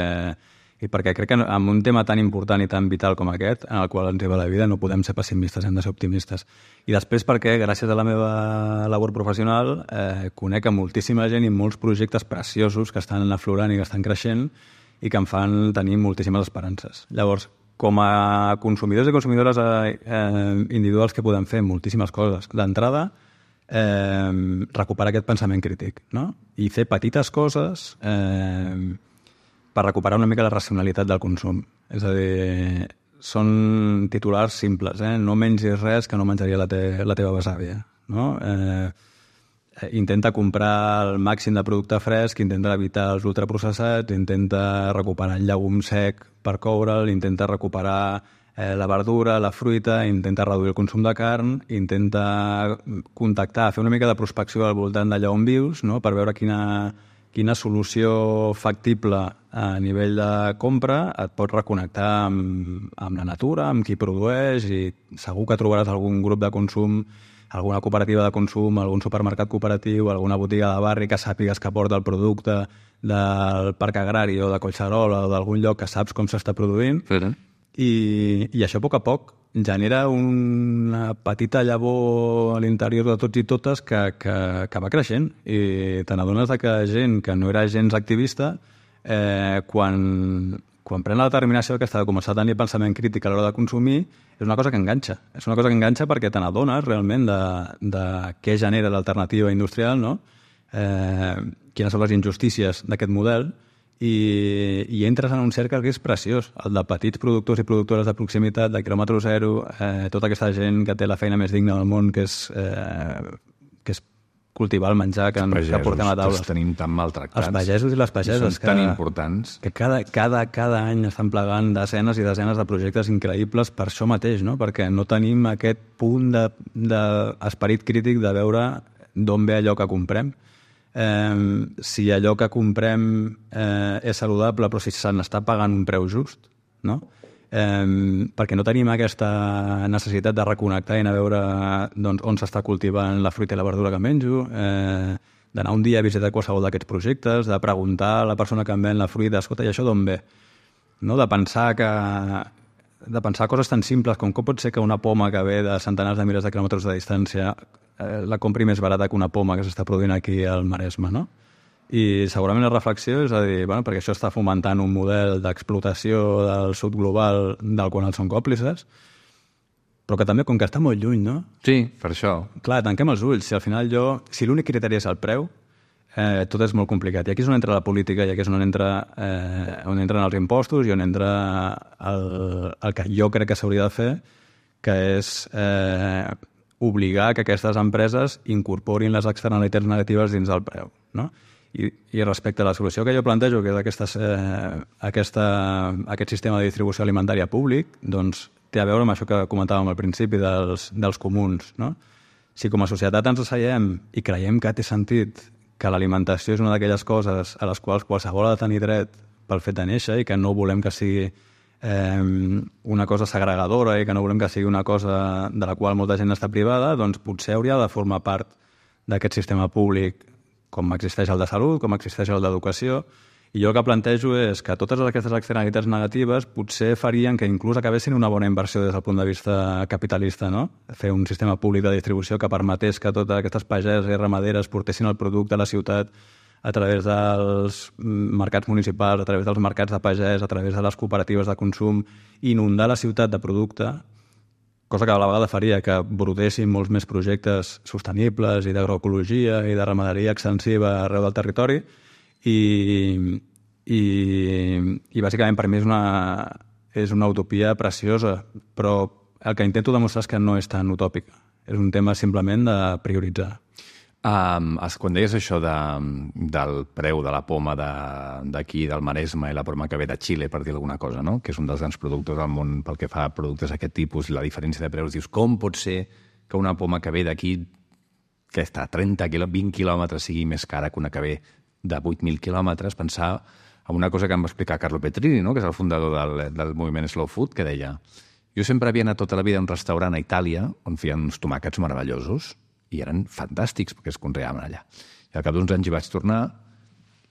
i perquè crec que en un tema tan important i tan vital com aquest, en el qual ens va la vida, no podem ser pessimistes, hem de ser optimistes. I després perquè, gràcies a la meva labor professional, eh, conec a moltíssima gent i molts projectes preciosos que estan aflorant i que estan creixent i que em fan tenir moltíssimes esperances. Llavors, com a consumidors i consumidores eh, individuals que podem fer moltíssimes coses. D'entrada, eh, recuperar aquest pensament crític, no? I fer petites coses eh, per recuperar una mica la racionalitat del consum. És a dir, són titulars simples, eh? No mengis res que no menjaria la, te la teva besàvia, no? Eh, intenta comprar el màxim de producte fresc, intenta evitar els ultraprocessats, intenta recuperar el llegum sec per coure'l, intenta recuperar eh, la verdura, la fruita, intenta reduir el consum de carn, intenta contactar, fer una mica de prospecció al voltant d'allà on vius, no? Per veure quina, quina solució factible a nivell de compra et pot reconnectar amb, amb la natura, amb qui produeix, i segur que trobaràs algun grup de consum, alguna cooperativa de consum, algun supermercat cooperatiu, alguna botiga de barri que sàpigues que porta el producte del parc agrari o de Collserola o d'algun lloc que saps com s'està produint. Sí. I, I això, a poc a poc, genera una petita llavor a l'interior de tots i totes que, que, que va creixent. I te n'adones que gent que no era gens activista, eh, quan, quan pren la determinació aquesta de començar a tenir pensament crític a l'hora de consumir, és una cosa que enganxa. És una cosa que enganxa perquè te n'adones realment de, de què genera l'alternativa industrial, no? Eh, quines són les injustícies d'aquest model, i, i entres en un cercle que és preciós, el de petits productors i productores de proximitat, de quilòmetre zero, eh, tota aquesta gent que té la feina més digna del món, que és, eh, que és cultivar el menjar que, pagesos, que portem a taula. Els tenim tan maltractats. Els pagesos i les pageses. Són tan que, importants. Que cada, cada, cada any estan plegant desenes i desenes de projectes increïbles per això mateix, no? Perquè no tenim aquest punt d'esperit de, crític de veure d'on ve allò que comprem. Eh, si allò que comprem eh, és saludable, però si se n'està pagant un preu just, no? Eh, perquè no tenim aquesta necessitat de reconnectar i anar a veure doncs, on s'està cultivant la fruita i la verdura que menjo, eh, d'anar un dia a visitar qualsevol d'aquests projectes, de preguntar a la persona que em ven la fruita, escolta, i això d'on ve? No? De pensar que de pensar coses tan simples com com pot ser que una poma que ve de centenars de milers de quilòmetres de distància eh, la compri més barata que una poma que s'està produint aquí al Maresme, no? I segurament la reflexió és a dir, bueno, perquè això està fomentant un model d'explotació del sud global del qual els són còmplices, però que també, com que està molt lluny, no? Sí, per això. Clar, tanquem els ulls. Si al final jo... Si l'únic criteri és el preu, eh, tot és molt complicat. I aquí és on entra la política, i aquí és on, entra, eh, on entren els impostos i on entra el, el que jo crec que s'hauria de fer, que és eh, obligar que aquestes empreses incorporin les externalitats negatives dins del preu, no? I, i respecte a la solució que jo plantejo, que és aquesta, eh, aquesta, aquest sistema de distribució alimentària públic, doncs té a veure amb això que comentàvem al principi dels, dels comuns, no? Si com a societat ens asseiem i creiem que té sentit que l'alimentació és una d'aquelles coses a les quals qualsevol ha de tenir dret pel fet de néixer i que no volem que sigui eh, una cosa segregadora i que no volem que sigui una cosa de la qual molta gent està privada, doncs potser hauria de formar part d'aquest sistema públic, com existeix el de salut, com existeix el d'educació, i jo el que plantejo és que totes aquestes externalitats negatives potser farien que inclús acabessin una bona inversió des del punt de vista capitalista, no? Fer un sistema públic de distribució que permetés que totes aquestes pageses i ramaderes portessin el producte a la ciutat a través dels mercats municipals, a través dels mercats de pagès, a través de les cooperatives de consum, inundar la ciutat de producte, cosa que a la vegada faria que brotessin molts més projectes sostenibles i d'agroecologia i de ramaderia extensiva arreu del territori, i, i, i bàsicament per mi és una, és una utopia preciosa, però el que intento demostrar és que no és tan utòpica. És un tema simplement de prioritzar. Um, quan deies això de, del preu de la poma d'aquí, de, del Maresme, i la poma que ve de Xile, per dir alguna cosa, no? Que és un dels grans productors del món pel que fa a productes d'aquest tipus, i la diferència de preus, dius, com pot ser que una poma que ve d'aquí, que està a trenta, vint quilòmetres, sigui més cara que una que ve de vuit mil quilòmetres? Pensar en una cosa que em va explicar Carlo Petrini, no? Que és el fundador del, del moviment Slow Food, que deia, jo sempre havia anat tota la vida a un restaurant a Itàlia on feien uns tomàquets meravellosos, i eren fantàstics perquè es conreaven allà. I al cap d'uns anys hi vaig tornar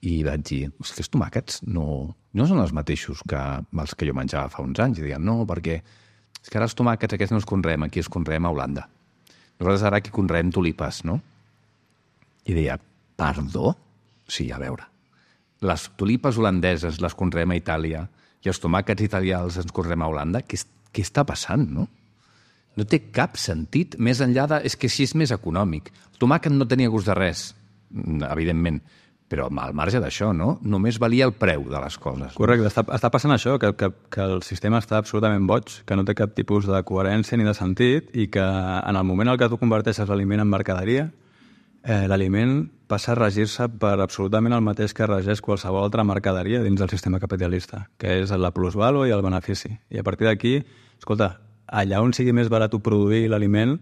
i vaig dir, els tomàquets no, no són els mateixos que els que jo menjava fa uns anys. I deien, no, perquè és que ara els tomàquets aquests no els conreem, aquí els conreem a Holanda. Nosaltres ara aquí conreem tulipes, no? I deia, perdó? Sí, a veure. Les tulipes holandeses les conreem a Itàlia i els tomàquets italians ens conreem a Holanda? Què, què està passant, no? No té cap sentit, més enllà de... És que així és més econòmic. El tomàquet no tenia gust de res, evidentment, però al marge d'això, no? Només valia el preu de les coses. Correcte, està, està passant això, que, que, que el sistema està absolutament boig, que no té cap tipus de coherència ni de sentit i que en el moment en què tu converteixes l'aliment en mercaderia, eh, l'aliment passa a regir-se per absolutament el mateix que regeix qualsevol altra mercaderia dins del sistema capitalista, que és la plusvàlua i el benefici. I a partir d'aquí, escolta, allà on sigui més barat produir l'aliment,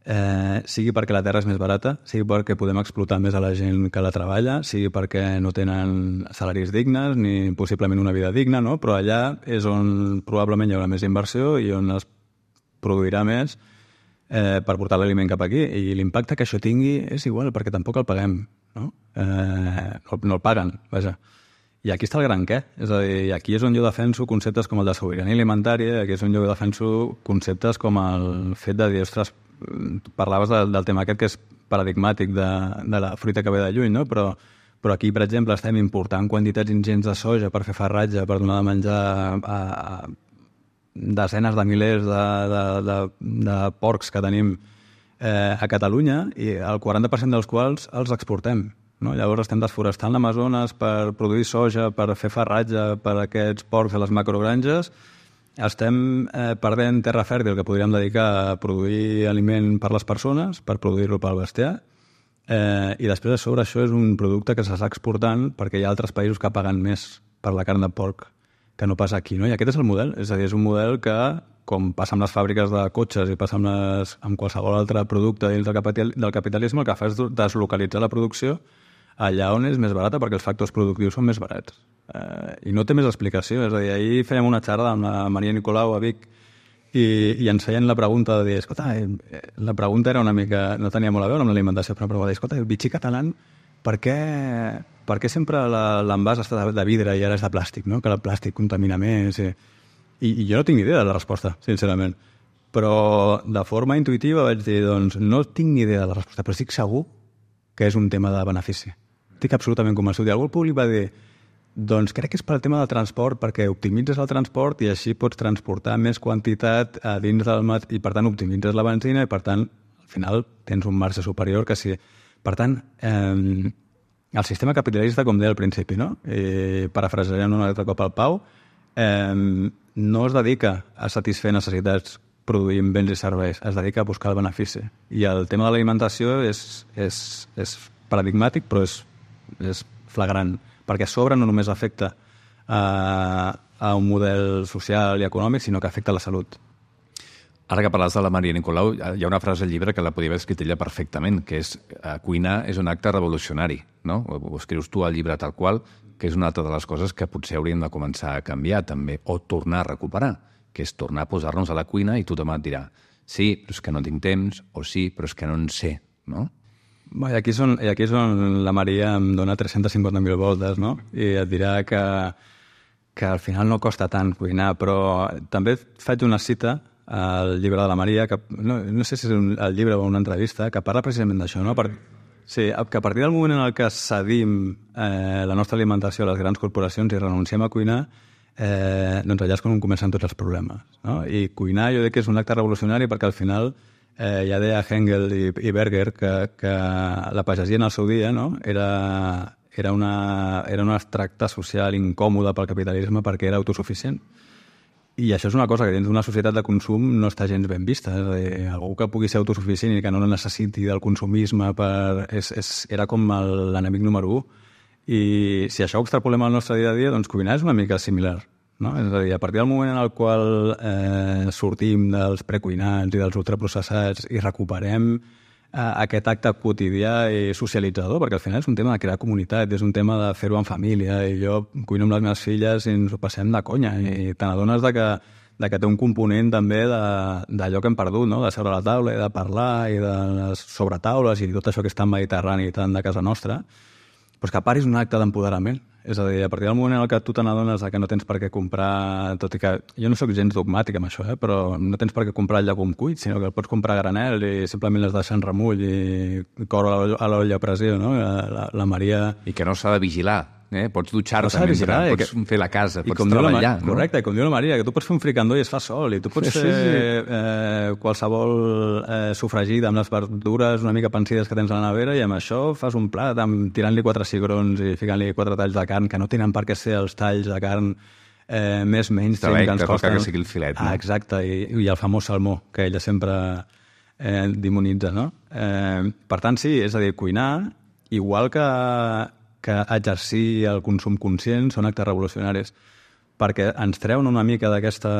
eh, sigui perquè la terra és més barata, sigui perquè podem explotar més a la gent que la treballa, sigui perquè no tenen salaris dignes ni possiblement una vida digna, no? Però allà és on probablement hi haurà més inversió i on es produirà més eh, per portar l'aliment cap aquí. I l'impacte que això tingui és igual, perquè tampoc el paguem, no? Eh, no, no el paguen, vaja. I aquí està el gran què. És a dir, aquí és on jo defenso conceptes com el de sobirania alimentària, aquí és on jo defenso conceptes com el fet de dir, ostres, parlaves de, del tema aquest que és paradigmàtic de, de la fruita que ve de lluny, no? Però, però aquí, per exemple, estem important quantitats ingents de soja per fer farratge, per donar de menjar a, a desenes de milers de, de, de, de porcs que tenim eh, a Catalunya i el quaranta per cent dels quals els exportem. No? Llavors estem desforestant l'Amazones per produir soja, per fer farratge per a aquests porcs a les macrogranges. Estem eh, perdent terra fèrtil que podríem dedicar a produir aliment per les persones, per produir-lo pel bestiar, eh, i després a sobre això és un producte que s'està exportant perquè hi ha altres països que paguen més per la carn de porc que no passa aquí. No? I aquest és el model. És a dir, és un model que, com passa amb les fàbriques de cotxes i passa amb, les, amb qualsevol altre producte dins del, capital, del capitalisme, el que fa és deslocalitzar la producció allà on és més barata perquè els factors productius són més barats. Eh, I no té més explicació. És a dir, ahir fèiem una xerrada amb la Maria Nicolau a Vic i, i ens feien la pregunta de dir, escolta, eh, la pregunta era una mica, no tenia molt a veure amb l'alimentació, però va dir, escolta, el bitxí català, per què, per què sempre l'envàs està de, de vidre i ara és de plàstic, no? Que el plàstic contamina més. I, i, i jo no tinc ni idea de la resposta, sincerament. Però de forma intuïtiva vaig dir, doncs, no tinc ni idea de la resposta, però estic segur que és un tema de benefici. Estic absolutament convençut. I algú públic va dir, doncs crec que és pel tema del transport, perquè optimitzes el transport i així pots transportar més quantitat a dins del mat i, per tant, optimitzes la benzina i, per tant, al final tens un marge superior que si... Per tant, eh, el sistema capitalista, com deia al principi, no? I parafrasejarem un altre cop al Pau, eh, no es dedica a satisfer necessitats produint béns i serveis, es dedica a buscar el benefici. I el tema de l'alimentació és, és, és paradigmàtic, però és, és flagrant, perquè a sobre no només afecta a, a un model social i econòmic, sinó que afecta a la salut. Ara que parles de la Maria Nicolau, hi ha una frase al llibre que la podia haver escrit ella perfectament, que és eh, cuinar és un acte revolucionari, no? Ho, ho escrius tu al llibre tal qual, que és una altra de les coses que potser hauríem de començar a canviar també, o tornar a recuperar, que és tornar a posar-nos a la cuina i tothom et dirà sí, però és que no tinc temps, o sí, però és que no en sé, no? Bé, i aquí és on, i aquí és on la Maria em dona tres-centes cinquanta mil voltes, no? I et dirà que, que al final no costa tant cuinar, però també faig una cita al llibre de la Maria, que no, no sé si és un, el llibre o una entrevista, que parla precisament d'això, no? Per, sí, que a partir del moment en el que cedim eh, la nostra alimentació a les grans corporacions i renunciem a cuinar, eh, doncs allà és quan comencen tots els problemes, no? I cuinar jo crec que és un acte revolucionari perquè al final eh, ja deia Hengel i, i Berger que, que la pagesia en el seu dia, no? era, era, una, era un extracte social incòmode pel capitalisme perquè era autosuficient. I això és una cosa que dins d'una societat de consum no està gens ben vista. És a dir, algú que pugui ser autosuficient i que no necessiti del consumisme per... és, és, era com l'enemic número u. I si això ho extrapolem al nostre dia a dia, doncs cuinar és una mica similar, no? És a dir, a partir del moment en el qual eh, sortim dels precuinats i dels ultraprocessats i recuperem aquest acte quotidià i socialitzador, perquè al final és un tema de crear comunitat, és un tema de fer-ho en família, i jo cuino amb les meves filles i ens ho passem de conya, i te n'adones de que, de que té un component també d'allò que hem perdut, no? De seure a la taula i de parlar i de les sobretaules i tot això que és tan mediterrani i tan de casa nostra, però que a part és un acte d'empoderament. És a dir, a partir del moment en què tu te n'adones que no tens per què comprar, tot i que jo no sóc gens dogmàtic amb això, eh? Però no tens per què comprar el llegum cuit, sinó que el pots comprar a granel i simplement les deixes en remull i cor a l'olla a pressió, no? La, la Maria... I que no s'ha de vigilar eh? Pots dutxar-te Pots mentre, vigilar, eh, pots que- fer la casa, I pots com diu la treballar. Maria, correcte, i com diu la Maria, que tu pots fer un fricandó i es fa sol, i tu pots Sí, fer sí. eh, qualsevol eh, sofregida amb les verdures una mica pensides que tens a la nevera, i amb això fas un plat amb, tirant-li quatre cigrons i ficant-li quatre talls de carn, que no tenen per què ser els talls de carn eh, més mainstream Està bé, que ens que toca costen. que sigui el filet, no? Ah, exacte, i, i el famós salmó, que ella sempre eh, demonitza, no? Eh, per tant, sí, és a dir, cuinar, igual que, que exercir el consum conscient, són actes revolucionaris, perquè ens treuen una mica d'aquesta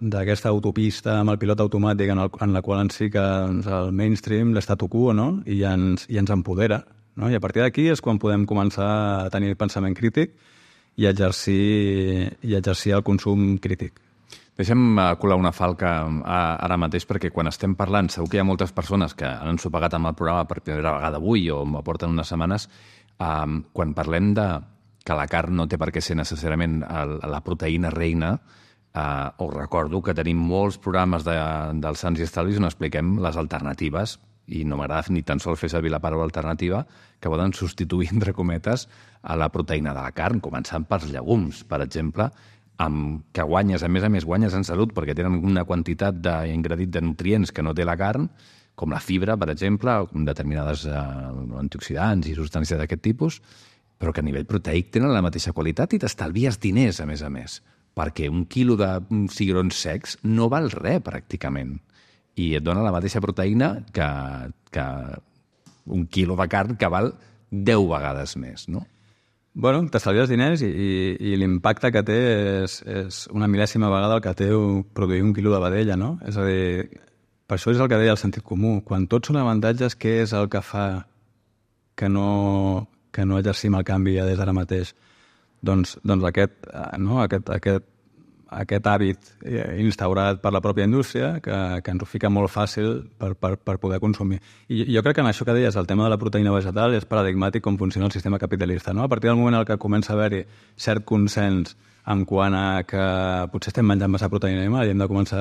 d'aquesta autopista amb el pilot automàtic en, el, en la qual ens fica doncs, el mainstream, l'estatu quo, no? I ens, i ens empodera, no? I a partir d'aquí és quan podem començar a tenir pensament crític i exercir, i exercir el consum crític. Deixa'm eh, colar una falca eh, ara mateix, perquè quan estem parlant, segur que hi ha moltes persones que han ensopegat amb el programa per primera vegada avui o m'aporten unes setmanes, eh, quan parlem de que la carn no té per què ser necessàriament el, la proteïna reina, eh, us recordo que tenim molts programes de, dels Sants i Estalvis on expliquem les alternatives, i no m'agrada ni tan sols fer servir la paraula alternativa, que poden substituir, entre cometes, a la proteïna de la carn, començant pels llegums, per exemple, amb que guanyes, a més a més, guanyes en salut perquè tenen una quantitat d'ingredient de nutrients que no té la carn, com la fibra, per exemple, o com determinades eh, antioxidants i substàncies d'aquest tipus, però que a nivell proteic tenen la mateixa qualitat i t'estalvies diners, a més a més, perquè un quilo de cigrons secs no val res, pràcticament, i et dona la mateixa proteïna que, que un quilo de carn que val deu vegades més, no? Bueno, t'estalvies diners i, i, i l'impacte que té és, és una mil·lèsima vegada el que té produir un quilo de vedella, no? És a dir, per això és el que deia el sentit comú. Quan tots són avantatges, què és el que fa que no, que no exercim el canvi ja des d'ara mateix? Doncs, doncs aquest, no? aquest, aquest, aquest hàbit instaurat per la pròpia indústria que, que ens ho fica molt fàcil per, per, per poder consumir. I jo crec que en això que deies, el tema de la proteïna vegetal, és paradigmàtic com funciona el sistema capitalista. No? A partir del moment en què comença a haver-hi cert consens en quant a que potser estem menjant massa proteïna animal i hem de començar...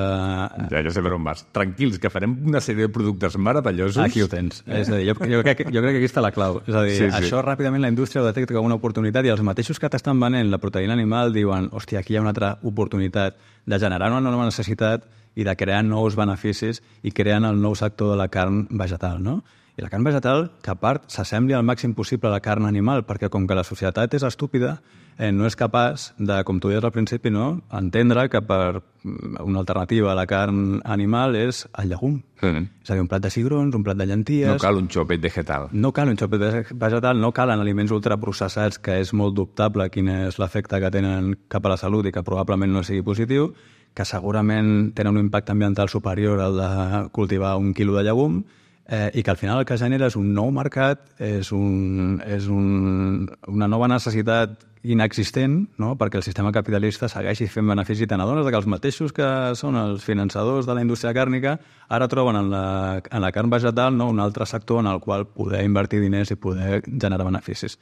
Ja, ja sé per on vas. Tranquils, que farem una sèrie de productes meravellosos. Aquí ho tens. Eh? És a dir, jo, jo, crec, jo crec que aquí està la clau. És a dir, sí, sí. Això ràpidament la indústria ho detecta com una oportunitat i els mateixos que t'estan venent la proteïna animal diuen, hòstia, aquí hi ha una altra oportunitat de generar una nova necessitat i de crear nous beneficis i creant el nou sector de la carn vegetal, no? I la carn vegetal, que a part s'assembli al màxim possible a la carn animal, perquè com que la societat és estúpida, eh, no és capaç de, com tu deies al principi, no? entendre que per una alternativa a la carn animal és el llegum. Sí. És a dir, un plat de cigrons, un plat de llenties... No cal un xopet vegetal. No cal un xopet vegetal, no calen aliments ultraprocessats, que és molt dubtable quin és l'efecte que tenen cap a la salut i que probablement no sigui positiu, que segurament tenen un impacte ambiental superior al de cultivar un quilo de llegum, Eh, i que al final el que genera és un nou mercat, és, un, és un, una nova necessitat inexistent, no? Perquè el sistema capitalista segueixi fent benefici. Te n'adones que els mateixos que són els finançadors de la indústria càrnica ara troben en la, en la carn vegetal, no? un altre sector en el qual poder invertir diners i poder generar beneficis.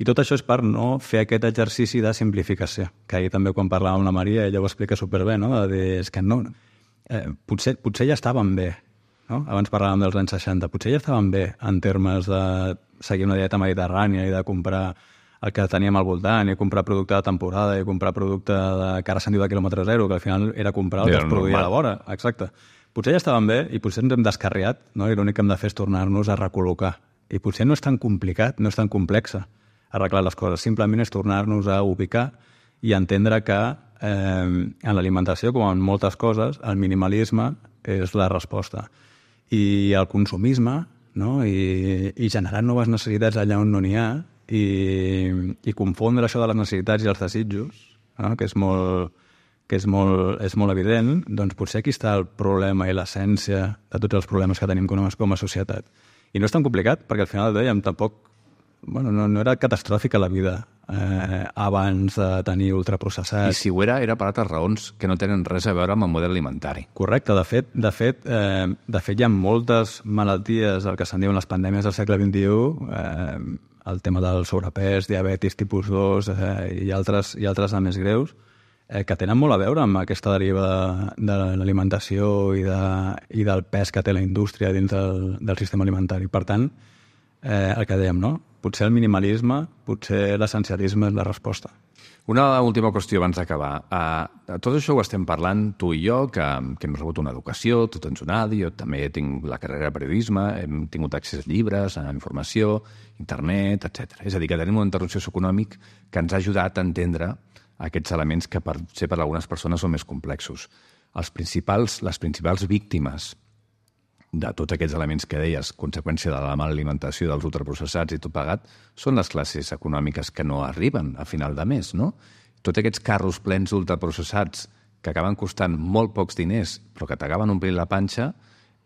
I tot això és per no fer aquest exercici de simplificació, que ahir també quan parlàvem amb la Maria ella ho explica superbé, no? De dir, és que no, eh, potser, potser ja estaven bé, no? Abans parlàvem dels anys seixanta. Potser ja estaven bé en termes de seguir una dieta mediterrània i de comprar el que teníem al voltant i comprar producte de temporada i comprar producte de, que ara se'n diu de quilòmetre zero, que al final era comprar el que es produïa a la vora. Exacte. Potser ja estaven bé i potser ens hem descarriat, no? I l'únic que hem de fer és tornar-nos a recol·locar. I potser no és tan complicat, no és tan complexa arreglar les coses. Simplement és tornar-nos a ubicar i entendre que eh, en l'alimentació, com en moltes coses, el minimalisme és la resposta. I el consumisme, no? I, i generar noves necessitats allà on no n'hi ha i, i confondre això de les necessitats i els desitjos, no? que, és molt, que és, molt, és molt evident, doncs potser aquí està el problema i l'essència de tots els problemes que tenim com a, com a societat. I no és tan complicat, perquè al final dèiem, tampoc bueno, no, no era catàstrofica la vida eh, abans de tenir ultraprocessats. I si ho era, era per altres raons que no tenen res a veure amb el model alimentari. Correcte. De fet, de fet, eh, de fet hi ha moltes malalties, el que se'n diuen les pandèmies del segle vint-i-u, eh, el tema del sobrepès, diabetis tipus dos eh, i, altres, i altres de més greus, eh, que tenen molt a veure amb aquesta deriva de, de l'alimentació i, de, i del pes que té la indústria dins del, del sistema alimentari. Per tant, eh, el que dèiem, no? potser el minimalisme, potser l'essencialisme és la resposta. Una última qüestió abans d'acabar. Uh, tot això ho estem parlant tu i jo, que, que hem rebut una educació, tu tens un A D I, jo també tinc la carrera de periodisme, hem tingut accés a llibres, a informació, internet, etcètera. És a dir, que tenim un entorn socioeconòmic que ens ha ajudat a entendre aquests elements que potser per algunes persones són més complexos. Els principals, les principals víctimes de tots aquests elements que deies, conseqüència de la mala alimentació, dels ultraprocessats i tot pagat, són les classes econòmiques que no arriben a final de mes, no? Tots aquests carros plens d'ultraprocessats que acaben costant molt pocs diners, però que t'acaben omplint la panxa,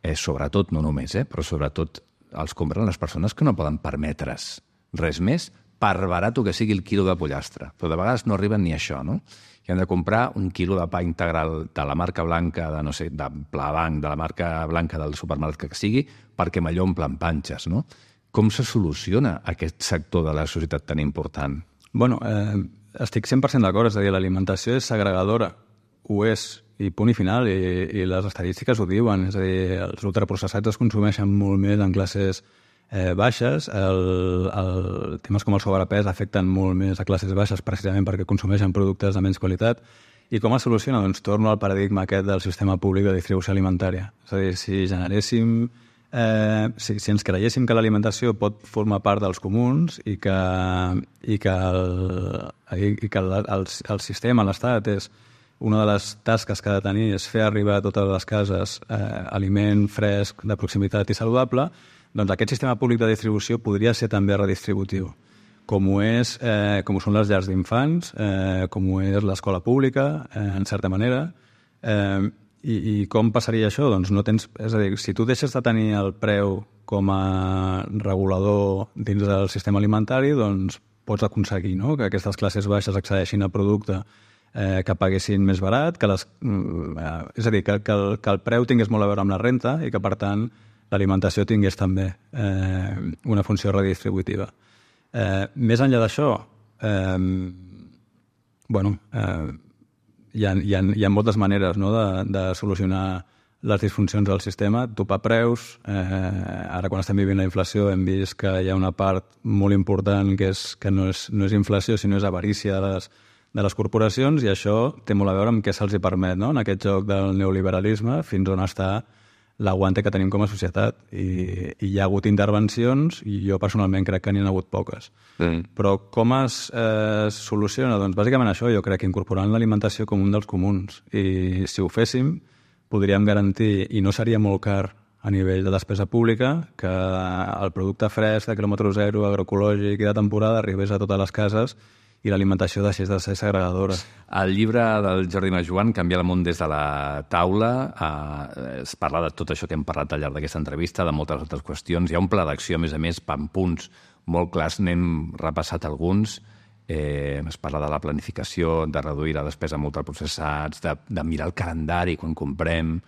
eh, sobretot, no només, eh, però sobretot els compren les persones que no poden permetre's res més, per barat que sigui el quilo de pollastre. Però de vegades no arriben ni a això, no? I han de comprar un quilo de pa integral de la marca blanca, de no sé, de Plabanc, de la marca blanca del supermercat que sigui, perquè m'allò omplen panxes, no? Com se soluciona aquest sector de la societat tan important? Bueno, eh, estic cent per cent d'acord, és a dir, l'alimentació és segregadora, ho és, i punt i final, i, i les estadístiques ho diuen, és a dir, els ultraprocessats es consumeixen molt més en classes Eh, baixes, el, el, temes com el sobrepès afecten molt més a classes baixes precisament perquè consumeixen productes de menys qualitat. I com es soluciona? Doncs torno al paradigma aquest del sistema públic de distribució alimentària. És a dir, si generéssim, eh, si, si ens creiéssim que l'alimentació pot formar part dels comuns i que, i que, el, i que el, el, el sistema, l'Estat, és una de les tasques que ha de tenir és fer arribar a totes les cases eh, aliment fresc, de proximitat i saludable, doncs aquest sistema públic de distribució podria ser també redistributiu, com ho, és, eh, com ho són les llars d'infants, eh, com ho és l'escola pública, eh, en certa manera. Eh, i, I com passaria això? Doncs no tens, és a dir, si tu deixes de tenir el preu com a regulador dins del sistema alimentari, doncs pots aconseguir, no?, que aquestes classes baixes accedeixin a producte eh, que paguessin més barat, que les, eh, és a dir, que, que, el, que el preu tingués molt a veure amb la renta i que, per tant, l'alimentació tingués també eh, una funció redistributiva. Eh, més enllà d'això, eh, bueno, eh, hi, ha, hi, ha, hi ha moltes maneres, no?, de, de solucionar les disfuncions del sistema, topar preus. Eh, ara, quan estem vivint la inflació, hem vist que hi ha una part molt important que, és, que no, és, no és inflació, sinó és avarícia de les, de les corporacions, i això té molt a veure amb què se'ls hi permet, no?, en aquest joc del neoliberalisme, fins on està l'aguante que tenim com a societat. I, i hi ha hagut intervencions, i jo personalment crec que n'hi ha hagut poques. Mm. Però com es eh, soluciona? Doncs bàsicament això, jo crec, incorporant l'alimentació com un dels comuns. I si ho féssim, podríem garantir, i no seria molt car a nivell de despesa pública, que el producte fresc de quilòmetre zero, agroecològic i de temporada arribés a totes les cases i l'alimentació deixés de ser segregadora. El llibre del Jordi Majoan, Canviar el món des de la taula, eh, es parla de tot això que hem parlat al llarg d'aquesta entrevista, de moltes altres qüestions. Hi ha un pla d'acció, a més a més, amb punts molt clars, n'hem repassat alguns. Eh, es parla de la planificació, de reduir la despesa amb ultraprocessats, de, de mirar el calendari quan comprem,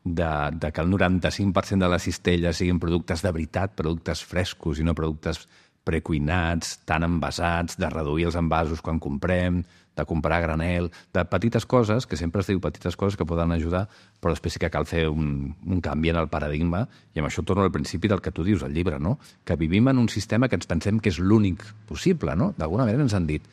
de, de que el noranta-cinc per cent de les cistelles siguin productes de veritat, productes frescos i no productes precuinats, tan envasats, de reduir els envasos quan comprem, de comprar a granel, de petites coses, que sempre es diu petites coses que poden ajudar, però després sí que cal fer un, un canvi en el paradigma, i amb això torno al principi del que tu dius al llibre, no?, que vivim en un sistema que ens pensem que és l'únic possible, no? D'alguna manera ens han dit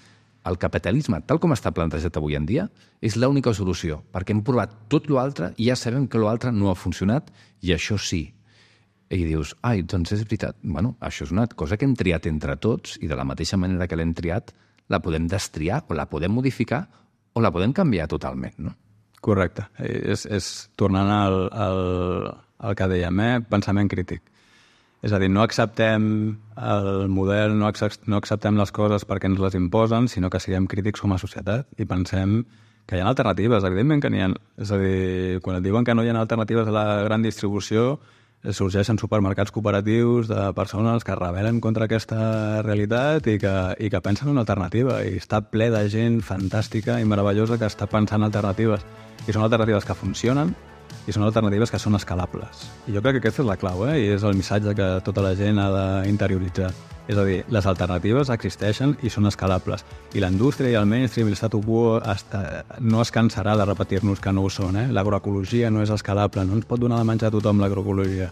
el capitalisme, tal com està plantejat avui en dia, és l'única solució, perquè hem provat tot l'altre i ja sabem que l'altre no ha funcionat, i això sí. I dius, ai, doncs és veritat. Bueno, això és una cosa que hem triat entre tots, i de la mateixa manera que l'hem triat, la podem destriar, o la podem modificar, o la podem canviar totalment, no? Correcte. És, és tornant al, al, al que dèiem, eh? Pensament crític. És a dir, no acceptem el model, no, accept, no acceptem les coses perquè ens les imposen, sinó que siguem crítics com a societat i pensem que hi ha alternatives. Evidentment que n'hi ha. És a dir, quan et diuen que no hi ha alternatives a la gran distribució, sorgeixen supermercats cooperatius de persones que rebel·len contra aquesta realitat i que, i que pensen en una alternativa, i està ple de gent fantàstica i meravellosa que està pensant alternatives, i són alternatives que funcionen i són alternatives que són escalables. I jo crec que aquesta és la clau, eh? I és el missatge que tota la gent ha d'interioritzar. És a dir, les alternatives existeixen i són escalables. I la indústria i el mainstream i l'statu quo hasta, no es cansarà de repetir-nos que no ho són. Eh? L'agroecologia no és escalable, no ens pot donar de menjar a tothom l'agroecologia.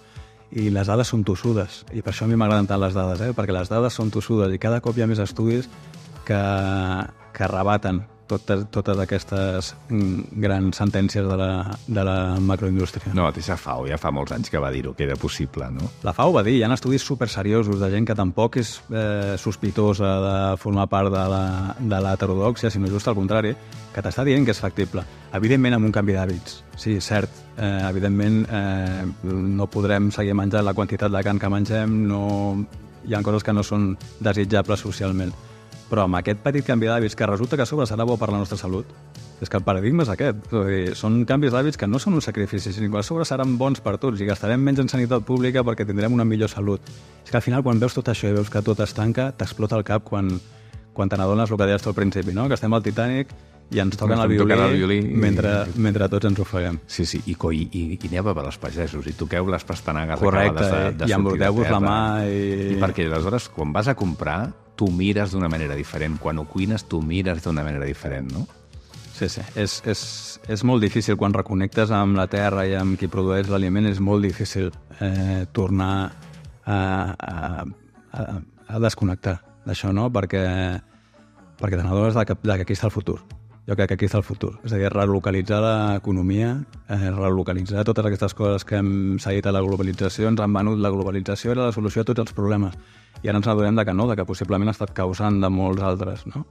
i les dades són tossudes, i per això a mi m'agraden tant les dades, eh? Perquè les dades són tossudes i cada cop hi ha més estudis que, que rebaten totes, totes aquestes grans sentències de la, de la macroindústria. No, la mateixa F A O ja fa molts anys que va dir-ho, que era possible, no? La F A O va dir, hi ha estudis superseriosos de gent que tampoc és eh, sospitosa de formar part de la, de l'heterodòxia, sinó just al contrari, que t'està dient que és factible. Evidentment amb un canvi d'hàbits. Sí, cert, eh, evidentment eh, no podrem seguir menjant la quantitat de carn que mengem, no... hi ha coses que no són desitjables socialment. Però amb aquest petit canvi d'hàbits, que resulta que a sobre serà bo per la nostra salut, és que el paradigma és aquest. És a dir, són canvis d'hàbits que no són un sacrifici, sinó que a sobre seran bons per tots i gastarem menys en sanitat pública perquè tindrem una millor salut. És que al final, quan veus tot això i veus que tot es tanca, t'explota el cap quan, quan te n'adones el que deies tu al principi, no? Que estem al Titanic i ens toquen el violí, el violí mentre, i... mentre tots ens ofeguem. Sí, sí, i, i, i, i aneu a els pagesos, i toqueu les pastanagues correcte, acabades de, de i embruteu-vos la mà. I... I perquè aleshores, quan vas a comprar, tu mires d'una manera diferent. Quan ho cuines, tu mires d'una manera diferent, no? Sí, sí. És, és, és molt difícil, quan reconnectes amb la terra i amb qui produeix l'aliment, és molt difícil eh, tornar a, a, a, a desconnectar d'això, no? Perquè, perquè te n'adones de, de que aquí està el futur. Jo crec que aquí està el futur. És a dir, relocalitzar l'economia, eh, relocalitzar totes aquestes coses que hem seguit a la globalització, ens han venut la globalització, era la solució a tots els problemes. I ara ens adonem de que no, de que possiblement ha estat causant de molts altres, no?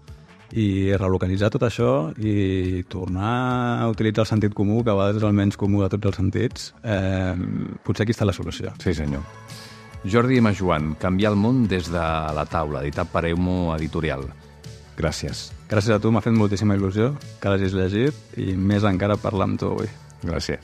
I relocalitzar tot això i tornar a utilitzar el sentit comú, que a vegades és el menys comú de tots els sentits, eh, potser aquí està la solució. Sí, senyor. Jordi Majoan, Canviar el món des de la taula, editat per Eumo Editorial. Gràcies. Gràcies a tu, m'ha fet moltíssima il·lusió que l'hagis llegit i més encara parlar amb tu avui. Gràcies.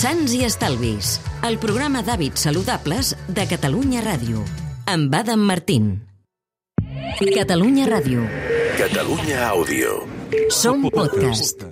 Sants i Estalvis, el programa d'hàbits saludables de Catalunya Ràdio, amb Adam Martín. Catalunya Ràdio. Catalunya Àudio. Som podcast.